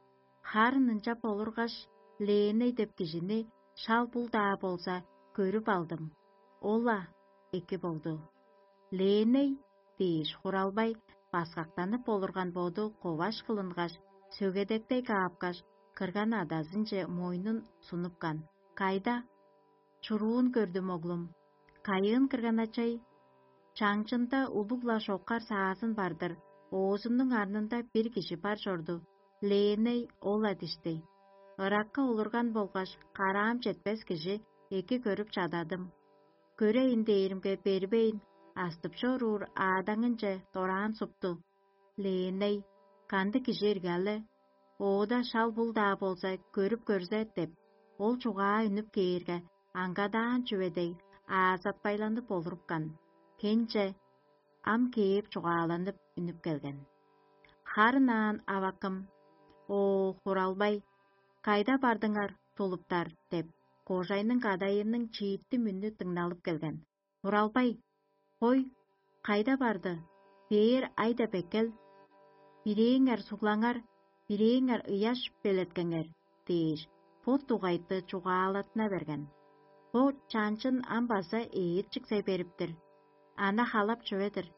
Харын ынчап олургаш, Леоней деп кижини шал бул-даа болза көрүп алдым. Ол-ла эки болду». «Леоней?» – дээш, Хуралбай баскактанып олурган боду коваш кылынгаш, сөгедектей каапкаш, кырган адазынче мойнун сунупкан. «Кайда?» «Чуруун көрдүм, оглум». «Кайыын, кырган-ачай?» «Чаңчында улуг-ла шокар саазын бар-дыр, оозунуң арнында бир кижи бар чорду. Леоней ол-ла дишти. Ыракка олурган болгаш, караам четпес кижи эки көрүп чададым. Көрейн дээримге бербейн, астып чоруур аадаңынче дораан супту. Леоней, кандыг кижи ирги але?» оода шал бул-даа болза көрүп көрзе» – деп, ол чугаа үнүп кээрге, аңгадаан чүве дег, аазатпайланып олурупкан, хенче ам кээп чугааланып үнүп келген. Харын аан авакым: «О, хуралбай, кайда бардыңар, тулуптар?» – деп, кожайның кадайының чииттим үнү дыңналып келген. «Хуралбай, хой, кайда барды? Бээр айда беккел. Бирээңер суглаңар, бирээңер ыяш белеткеңер» – дээш, бо дугайты чугаалатына берген. Бо чанчын ам база ээрчиксей бериптир. Ана халап чүве-дир.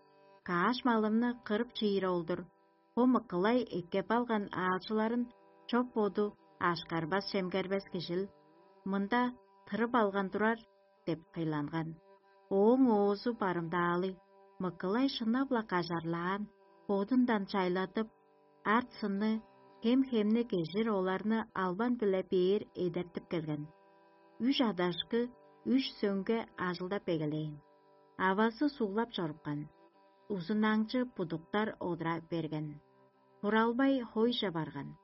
Кааш малымны кырып чиир ол-дур. Бо мыкылай эккеп алган аалчыларын чоп-боду ашкарбас-чемгербес кижил, мында тырып алган турар деп кыйланган. Ооң оозу барымдаалыг, мыкылай шынап-ла кажарлаан, бодундан чайладып, арт-сынны хем-хемни кежир оларны албан-биле бээр эдертип келген. Үш адашкы үш сөңге ажылдап эгелээн. Авазы суглап чорупкан. Узунаңчы будуктар одура берген. Хуралбай хойже барган.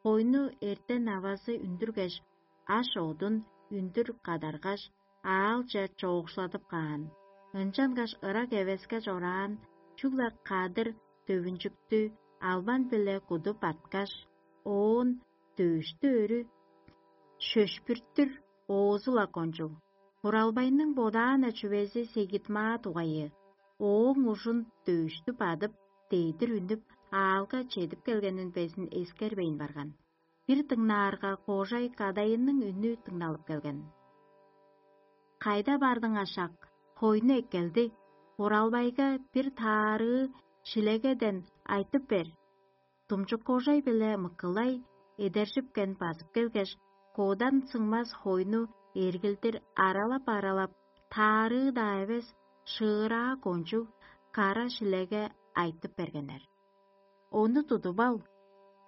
Хойну эртен авазы үндүргеш, аш-одун үндүр кадаргаш, аалче чоокшуладып каан. Ынчангаш ырак эвеске чораан чүгле кадыр-төвүнчүктү албан-биле кудуп арткаш, оон дөөштү өрү шөшпүртүр оозу-ла кончуг. Хуралбайның бодаан-на чүвези сегит-маа дугайы. Ооң ужун дөөштү бадып, дедир үнүп, аалга чедип келгенин безин эскербейн барган. Бир дыңнаарга, кожай кадайының үнү дыңналып келген. «Кайда бардың, ашак? Хойну эккелди. Хуралбайга бир таарыы шилегеден айтып бер». Думчук кожай биле мыкылай эдержипкен базып келгеш, кодан сыңмас хойну эргилдир аралап-аралап, таарыы-даа эвес, шыыраа кончуг кара шилеге айтып бергеннер. «Ону тудуп ал,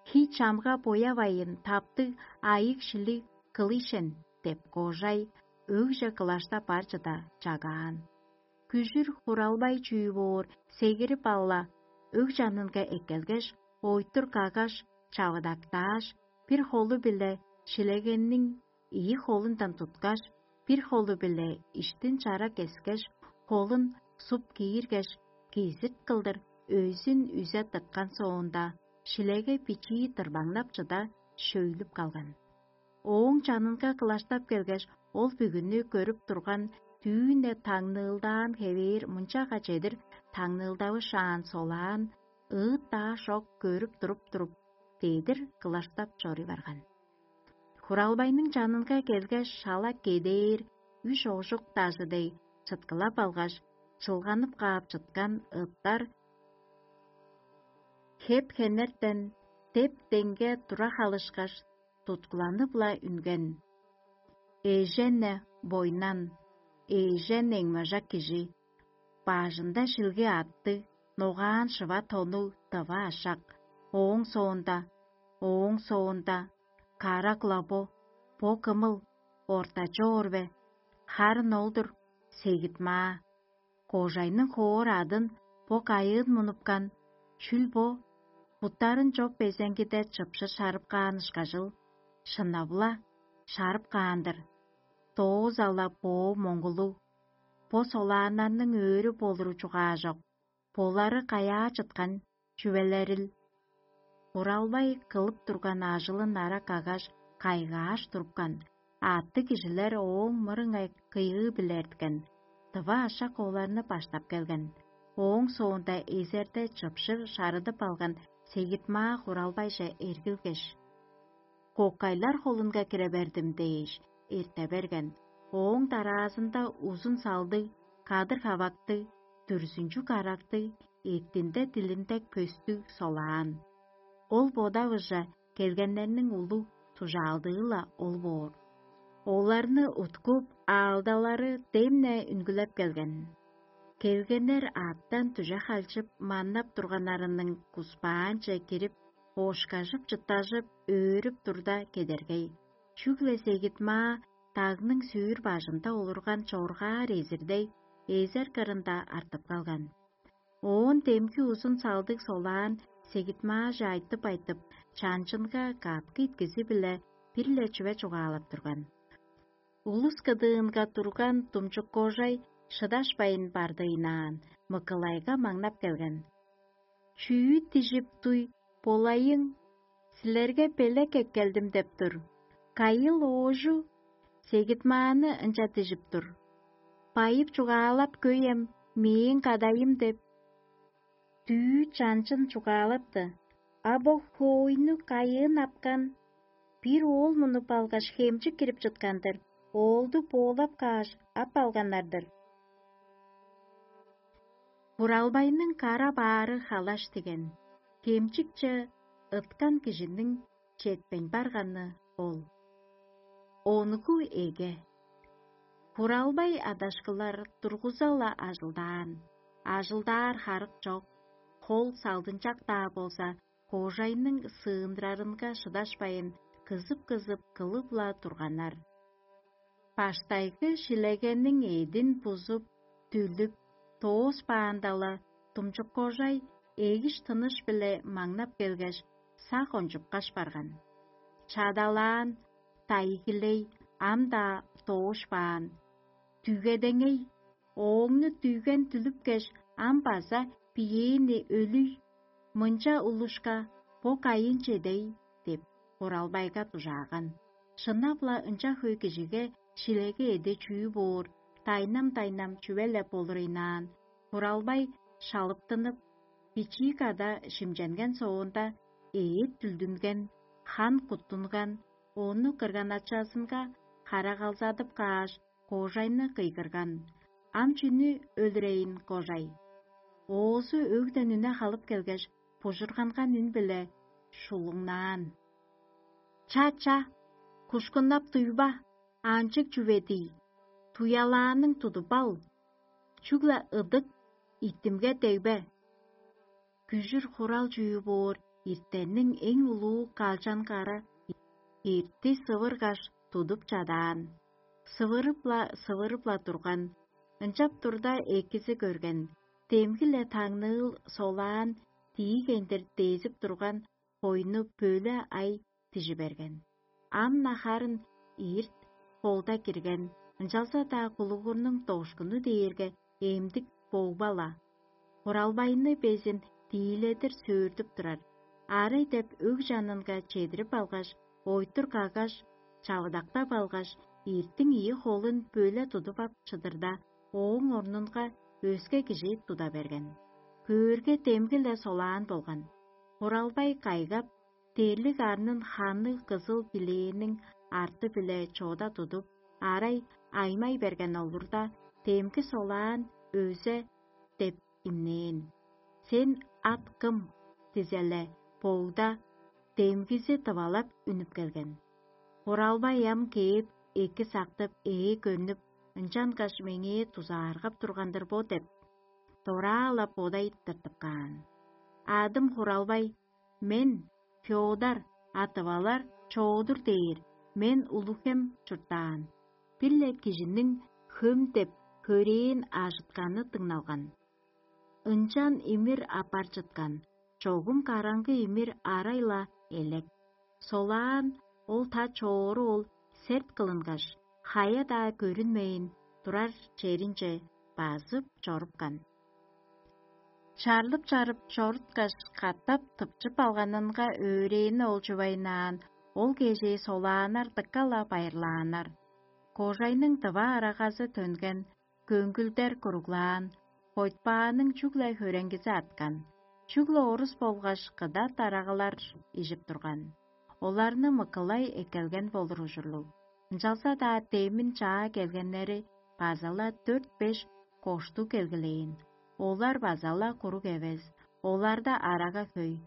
хий чамга боявайын таптыг айыг-шилиг кылыйшен» – деп, кожай өгже кылаштап бар чыда чагаан. Күжүр хуралбай чүү боор сегирип ала, өг чанынга эккелгеш, ойтур каггаш, чавыдактааш, бир холу-биле шилегенниң ийи холундан туткаш, бир холу-биле иштин чара кескеш, холун суп кииргеш, кизик кылдыр өзүн үзе тыткан соонда, шилеге бичии дырбаңнап чыда шөйлүп калган. Ооң чанынга кылаштап келгеш, ол бүгүнү көрүп турган, дүүн-не таңныылдаан хевээр мынчага чедир таңныылдавышаан солаан, ыыт-даа шок көрүп туруп-туруп, дедир кылаштап чоруй барган. Хуралбайның чанынга келгеш, шала кедээр үш ожук дажы дег чыткылап алгаш, чылганып каап чыткан ыттар хеп-хенертен деп-деңге тура халышкаш, туткуланып-ла үнген. Эжен-не бойнан, эжен эңмежак кижи, бажында шилги аттыг, ногаан шыва тоннуг тыва ашак, ооң соонда, ооң соонда, кара кылабо, бо кымыл, ортачы оор бе? Харын ол-дур, сегит-маа. Кожайның хоор адын бо кайыын мунупкан, чүл бо, буттарын чоп безеңгиде чыпшыр шарып каан ышкажыл, шынап-ла, шарып каан-дыр. Дооза-ла боо моңгулуг, бо солааннарның өөрү болуру чугаажок, болары каяа чыткан чүвелерил? Буралбай кылып турган ажылын ара каггаш, кайгааш турупкан, аъттыг кижилер ооң мырыңай кыйыы-биле эрткен, тыва ашак оларны баштап келген. Ооң соонда эзерде чыпшыр шарыдып алган сегит-маа Хуралбайже эргилгеш: «Кокайлар холунга кире бердим» – дээш, эрте берген. Ооң дараазында узун салдыг, кадыр-хавактыг, дүрзүнчүг карактыг, эъттинде дилинде көстүг солаан. Ол бодавыже келгеннерниң улуг тужаалдыы-ла ол боор. Оларны уткуп, аалдалары дем-не үнгүлеп келген. Келгеннер аъттан дүже халчып, маннап турганнарының куспаанче кирип, оошкажып-чыттажып, өөрүп турда кедергей, чүгле сегит-маа дагның сүүр бажында олурган чоргаар эзирдей, эзер кырында артып калган. Оон демги узун салдыг солаан сегитмааже айтып-айтып, чанчынга каткы иткизи-биле бир-ле чүве чугаалап турган. Улус кыдыынга турган думчук кожай шыдашпайн бардыйнаан, мыкылайга маңнап келген: «Чүү дижип дуй болайың? Силерге белек эккелдим деп тур. Кайыл оожу сегитмааны ынча дижип тур: „Байып чугаалап көй эм, мээң кадайым“ деп». Дүү чанчын чугаалапты: «А бо хоойну кайыын апкан? Бир оол мунуп алгаш, хемчик кирип чыткан-дыр, оолду боолап кааш, ап алганнар-дыр». Буралбайның кара-баары халаш диген, хемчикче ыткан кижиниң четпейн барганы ол. Онгу эге. Буралбай адашкылар тургуза-ла ажылдаан, ажылдаар харык чок, хол салдынчак-даа болза, кожайның сыындырарынга шыдашпайн, кызып-кызып кылып-ла турганнар. Баштайгы шилегениң эъдин бузуп, дүлүп, дооспаанда-ла, думчук кожай эгиш-тыныш-биле маңнап келгеш, сак ончупкаш барган. Чадалаан, дайгилей, ам-даа доошпаан. Дүгедеңей, ооңну дүгген дүлүпкеш, ам база биээни өлүй, мынча улушка бо кайын чедей деп, Буралбайга дужааган. Шынап-ла ынча хөй кижиге шилеге эде чүү боор, дайнам-дайнам чүве-ле болур ыйнаан. Буралбай шалыптынып, бичии када шимченген соонда, ээт дүлдүнген, хан куттунган, ону кырган-ачазынга харагалзадып кааш, кожайны кыйгырган: «Ам чүнү өлүрейн, кожай?» Оозу өгден үне халып келгеш, бужурганган үн-биле шулуңнаан: «Ча-ча, кушкуннап дуйба, анчыг чүве-дий, туялааның тудуп ал, чүгле ыдык, иттимге дегбе». Күжүр хурал чүү боор иртенниң эң улуу калчан кара ирти сывыргаш тудуп чадаан. Сывырып-ла, сывырып-ла турган. Ынчап турда, экизи көрген, демги-ле таңныыл солаан диигендир дезип турган хойну бөле ай дижи берген. Ам-на харын ирт холда кирген, ынчалза-даа кулугурнуң дошкуну дээрге эмдик богба-ла. Буралбайны безин дииледир сөөрдүп турар. Арый деп өг чанынга чедирип алгаш, ойтур каггаш, чавыдактап алгаш, иртиң ийи холун бөле тудуп ап чыдырда, ооң орнунга өске кижи туда берген. Көөрге, демги-ле солаан болган. Буралбай кайгап, терлиг арнын ханныг кызыл билээниң арты-биле чода тудуп, арай аймай берген олурда, демги солаан өзе деп имнээн. «Сен ат кым?» — дизеле, боогда демгизи тывалап үнүп келген. Буралбай ам кээп, эки сактып, ээ көрнүп, ынчангаш меңээ дузааргап турган-дыр бо деп, дораа-ла бодай тыртып каан. «Адым Хуралбай, мен Фёдар, а тывалар Чоодур дээр, мен Улуг-Хем чурттаан». Бир-ле кижиниң «Хөм» деп хөрээн ажытканы дыңналган. Ынчан имир аппар чыткан, чогум караңгы имир арай-ла элек. Солаан ол та чоору ол серт кылынгаш, хая-даа көрүнмейн турар черинче базып чорупкан. Чарлып-чарып чоруткаш, катап тыпчып алганынга өөрээни ол чувайнаан, ол кежээ солааннар дыка-ла байырлааннар. Кожайның тыва арагазы төнген, көңгүлдер куруглаан, хойтпааның чүгле хөреңгизи арткан, чүгле орус болгаш кыдат арагылар ижип турган. Оларны мыкылай эккелген болур ужурлуг. Ынчалза-даа демин чаа келгеннери база-ла дөрт-беш кошту келгилээн. Олар база-ла куруг эвес, оларда арага хөй.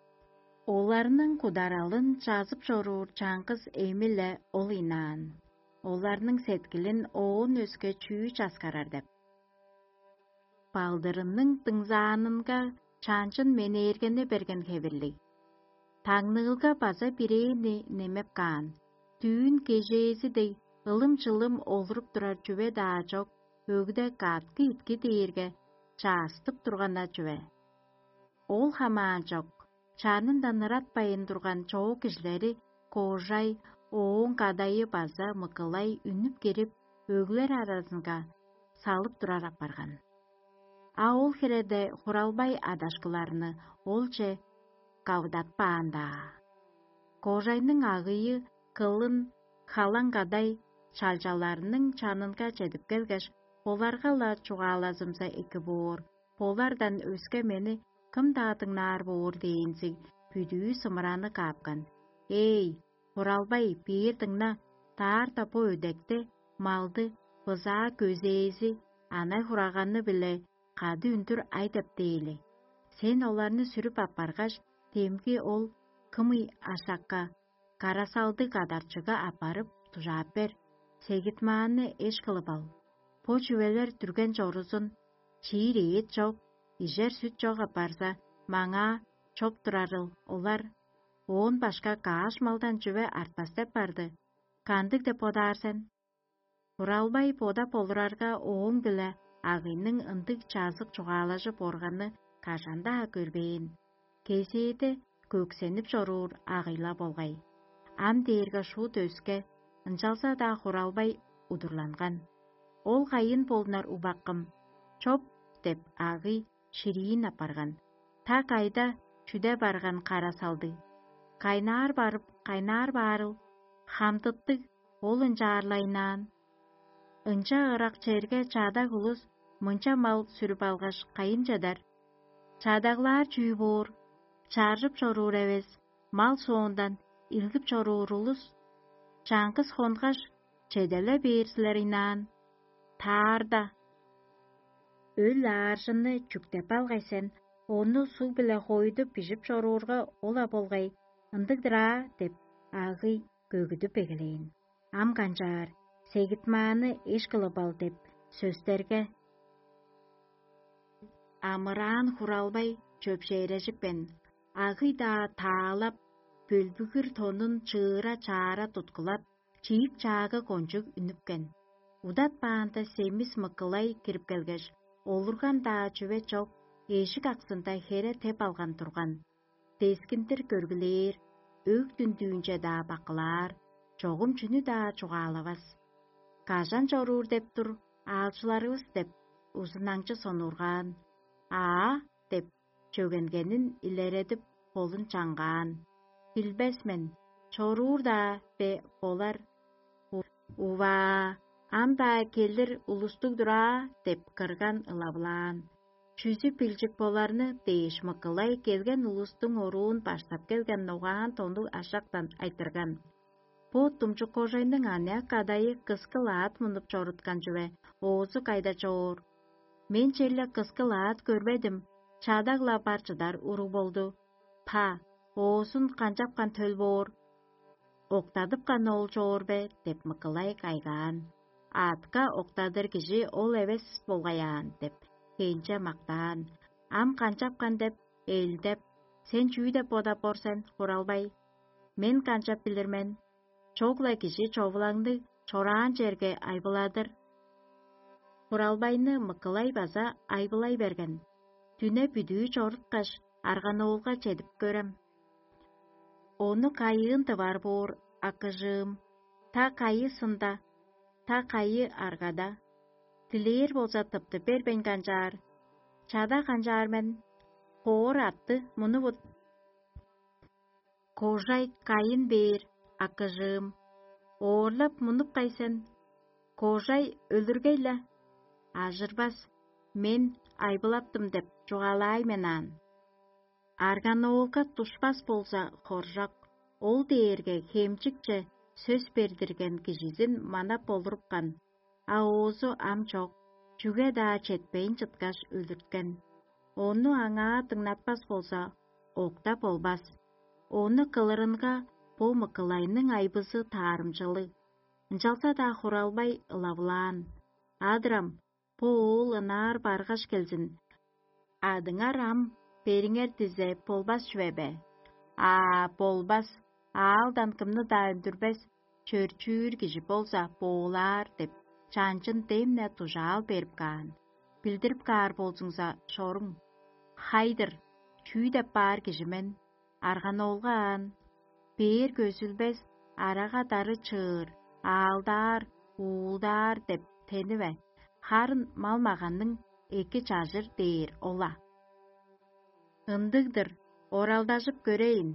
Оларның кударалын чазып чоруур чаңгыс эми-ле ол ыйнаан. Оларның сеткилин оон өске чүү часкарар деп. Балдырының дыңзаанынга чанчын менээргени берген хевирлиг. Таңныылга база бирээни немеп каан, дүүн кежээзи дег ылым-чылым олуруп турар чүве-даа чок, өгде каткы итки дээрге чаастып турган-на чүве. Ол хамаан чок, Чанындан ыратпайн турган чоок кижилери Кожай, ооң кадайы база Мыкылай үнүп кирип, өглер аразынга салып турар апарган. А ол хиреде Хуралбай адашкыларны олче кавыдатпаан-даа. Кожайның агыйы кылын халаң кадай чалчаларының чанынга чедип келгеш, оларга-ла чугаалазымза эки боор, олардан өске мени кым-даа дыңнаар боор дээнзиг, бүдүү сымыраны каапкан. Эй, Хуралбай, бээр дыңна, даарда бо өдекти, малды, бызаа көзээзи, анай-хураганны-биле кады үндүр ай деп дээли. Сен оларны сүрүп аппаргаш, демги ол кымый ашакка, карасалдыг кадарчыга аппарып, дужаап бер. Сегит-маанны эш кылып ал. Бо чүвелер дүрген чорузун, чиир эът чок, ижер сүт чок апарза, маңаа чоп турарыл олар. Оон башка каш малдан чүве артпас деп барды. Кандыг деп бодаар сен? Буралбай бодап олурарга, ооң-биле агыйның ындыг чазык чугаалажып органы кажан-даа көрбээн. Кезээде көксенип чоруур агыйла болгай. Ам дээрге шуут өске, ынчалза-даа Хуралбай удурланган. Ол кайын болунар, убаккым, чоп деп, агый шириин апарган. Та кайда чүде барган кара салдыг? Кайнаар барып, кайнаар баарыл, хамдыттыг, ол ынчаарлайнаан. Ынча ырак черге чадаг улус мынча мал сүрүп алгаш, кайын чыдар? Чадаглаар чүү боор? Чаржып чоруур эвес, мал соондан илгип чоруур улус. Чаңгыс хонгаш, чеделе бээр силер ыйнаан. Таарда. Өл ааржынны чүктеп алгай сен, ону суг-биле хойдуп бижип чоруурга, ол-ла болгай, ындыг-дыр аа деп, агый көгүдүп эгелээн. Ам канчаар, сегитмааны эш кылып ал деп сөстерге, амыраан Хуралбай чөпшээрежипкен, агый-даа таалап, бөлбүгүр тонун чыыра-чаара туткулап, чиик-чаагы кончуг үнүпкен. Удатпаанда семис Мыкылай кирип келгеш, олурган-даа чүве чок, эжик аксында хере теп алган турган. Дескиндир көргүлээр, өг дүндүүнче-даа бакылаар, чогум чүнү-даа чугаалавас. «Кажан чоруур деп тур аалчыларывыс?» — деп, узунаңчы сонуургаан. «Аа» — деп, чөгенгенин илередип, холун чаңгаан. «Билбес мен, чоруур-даа бе болар?» «Уваа, ам-даа келир улустуг-дур аа» — деп, кырган ылавылаан. «Чүзү билчик боларны дээш, Мыкылай келген улустуң оруун баштап келген ногаан тоннуг ашактан айтырган. Бо думчук кожайның аныяк кадайы кыскы лаат мунуп чоруткан чүве, оозу кайда чоор? Мен черле кыскы лаат көрбедим, чадаг-ла бар чыдар уруг болду. Па, оозун канчапкан төл боор? Октадыпкан ол чоор бе?» — деп, Мыкылай кайгаан. «Аътка октадыр кижи ол эвес болгай аан» — деп, хенче мактаан. «Ам канчапкан?» — деп, элдеп: «Сен чүү деп бодап ор сен, Хуралбай?» «Мен канчап билир мен? Чогла кижи човулаңны чораан черге айбыладыр». Хуралбайны Мыкылай база айбылай берген. Дүне бүдүү чоруткаш, Арганоолга чедип көрем. Ону кайыын тывар боор, акыжыым? Та кайы сында, та кайы аргада? Дилээр болза, тыптып бербейн канчаар? Чада канчаар мен? Хоор атты мунувут. Кожай кайын бээр, акыжыым? Оорлап мунуп кай сен? Кожай өлүргей-ле? Ажырбас, мен айбылаптым деп чугаалаай мен аан. Арганоолга душпас болза, хоржок, ол дээрге хемчикче сөс бердирген кижизин манап олурупкан, а оозу ам чок, чүге-даа четпейн чыткаш, өлүрткен. Ону аңаа дыңнатпас болза, октап болбас. Ону кылырынга бо Мыкылайның айбызы таарымчылыг. Ынчалза-даа Хуралбай ылавылаан: «Адырам, бо оол ынаар баргаш келзин. Адыңар ам бериңер дизе, болбас чүве бе?» «Аа, болбас, аалдан кымны-даа үндүрбес, чөрчүүр кижи болза, боолаар» — деп, чанчын дем-не дужаал берип каан. «Билдирип каар болзуңза, чоруң». «Хай-дыр, чүү деп баар кижи мен? арганоолга аан, бээр көзүлбес, арага-дары чыыр, аалдаар, уулдаар деп тениве, харын мал-маганның эки чажыр дээр ол-ла. Ындыг-дыр, оралдажып көрейн,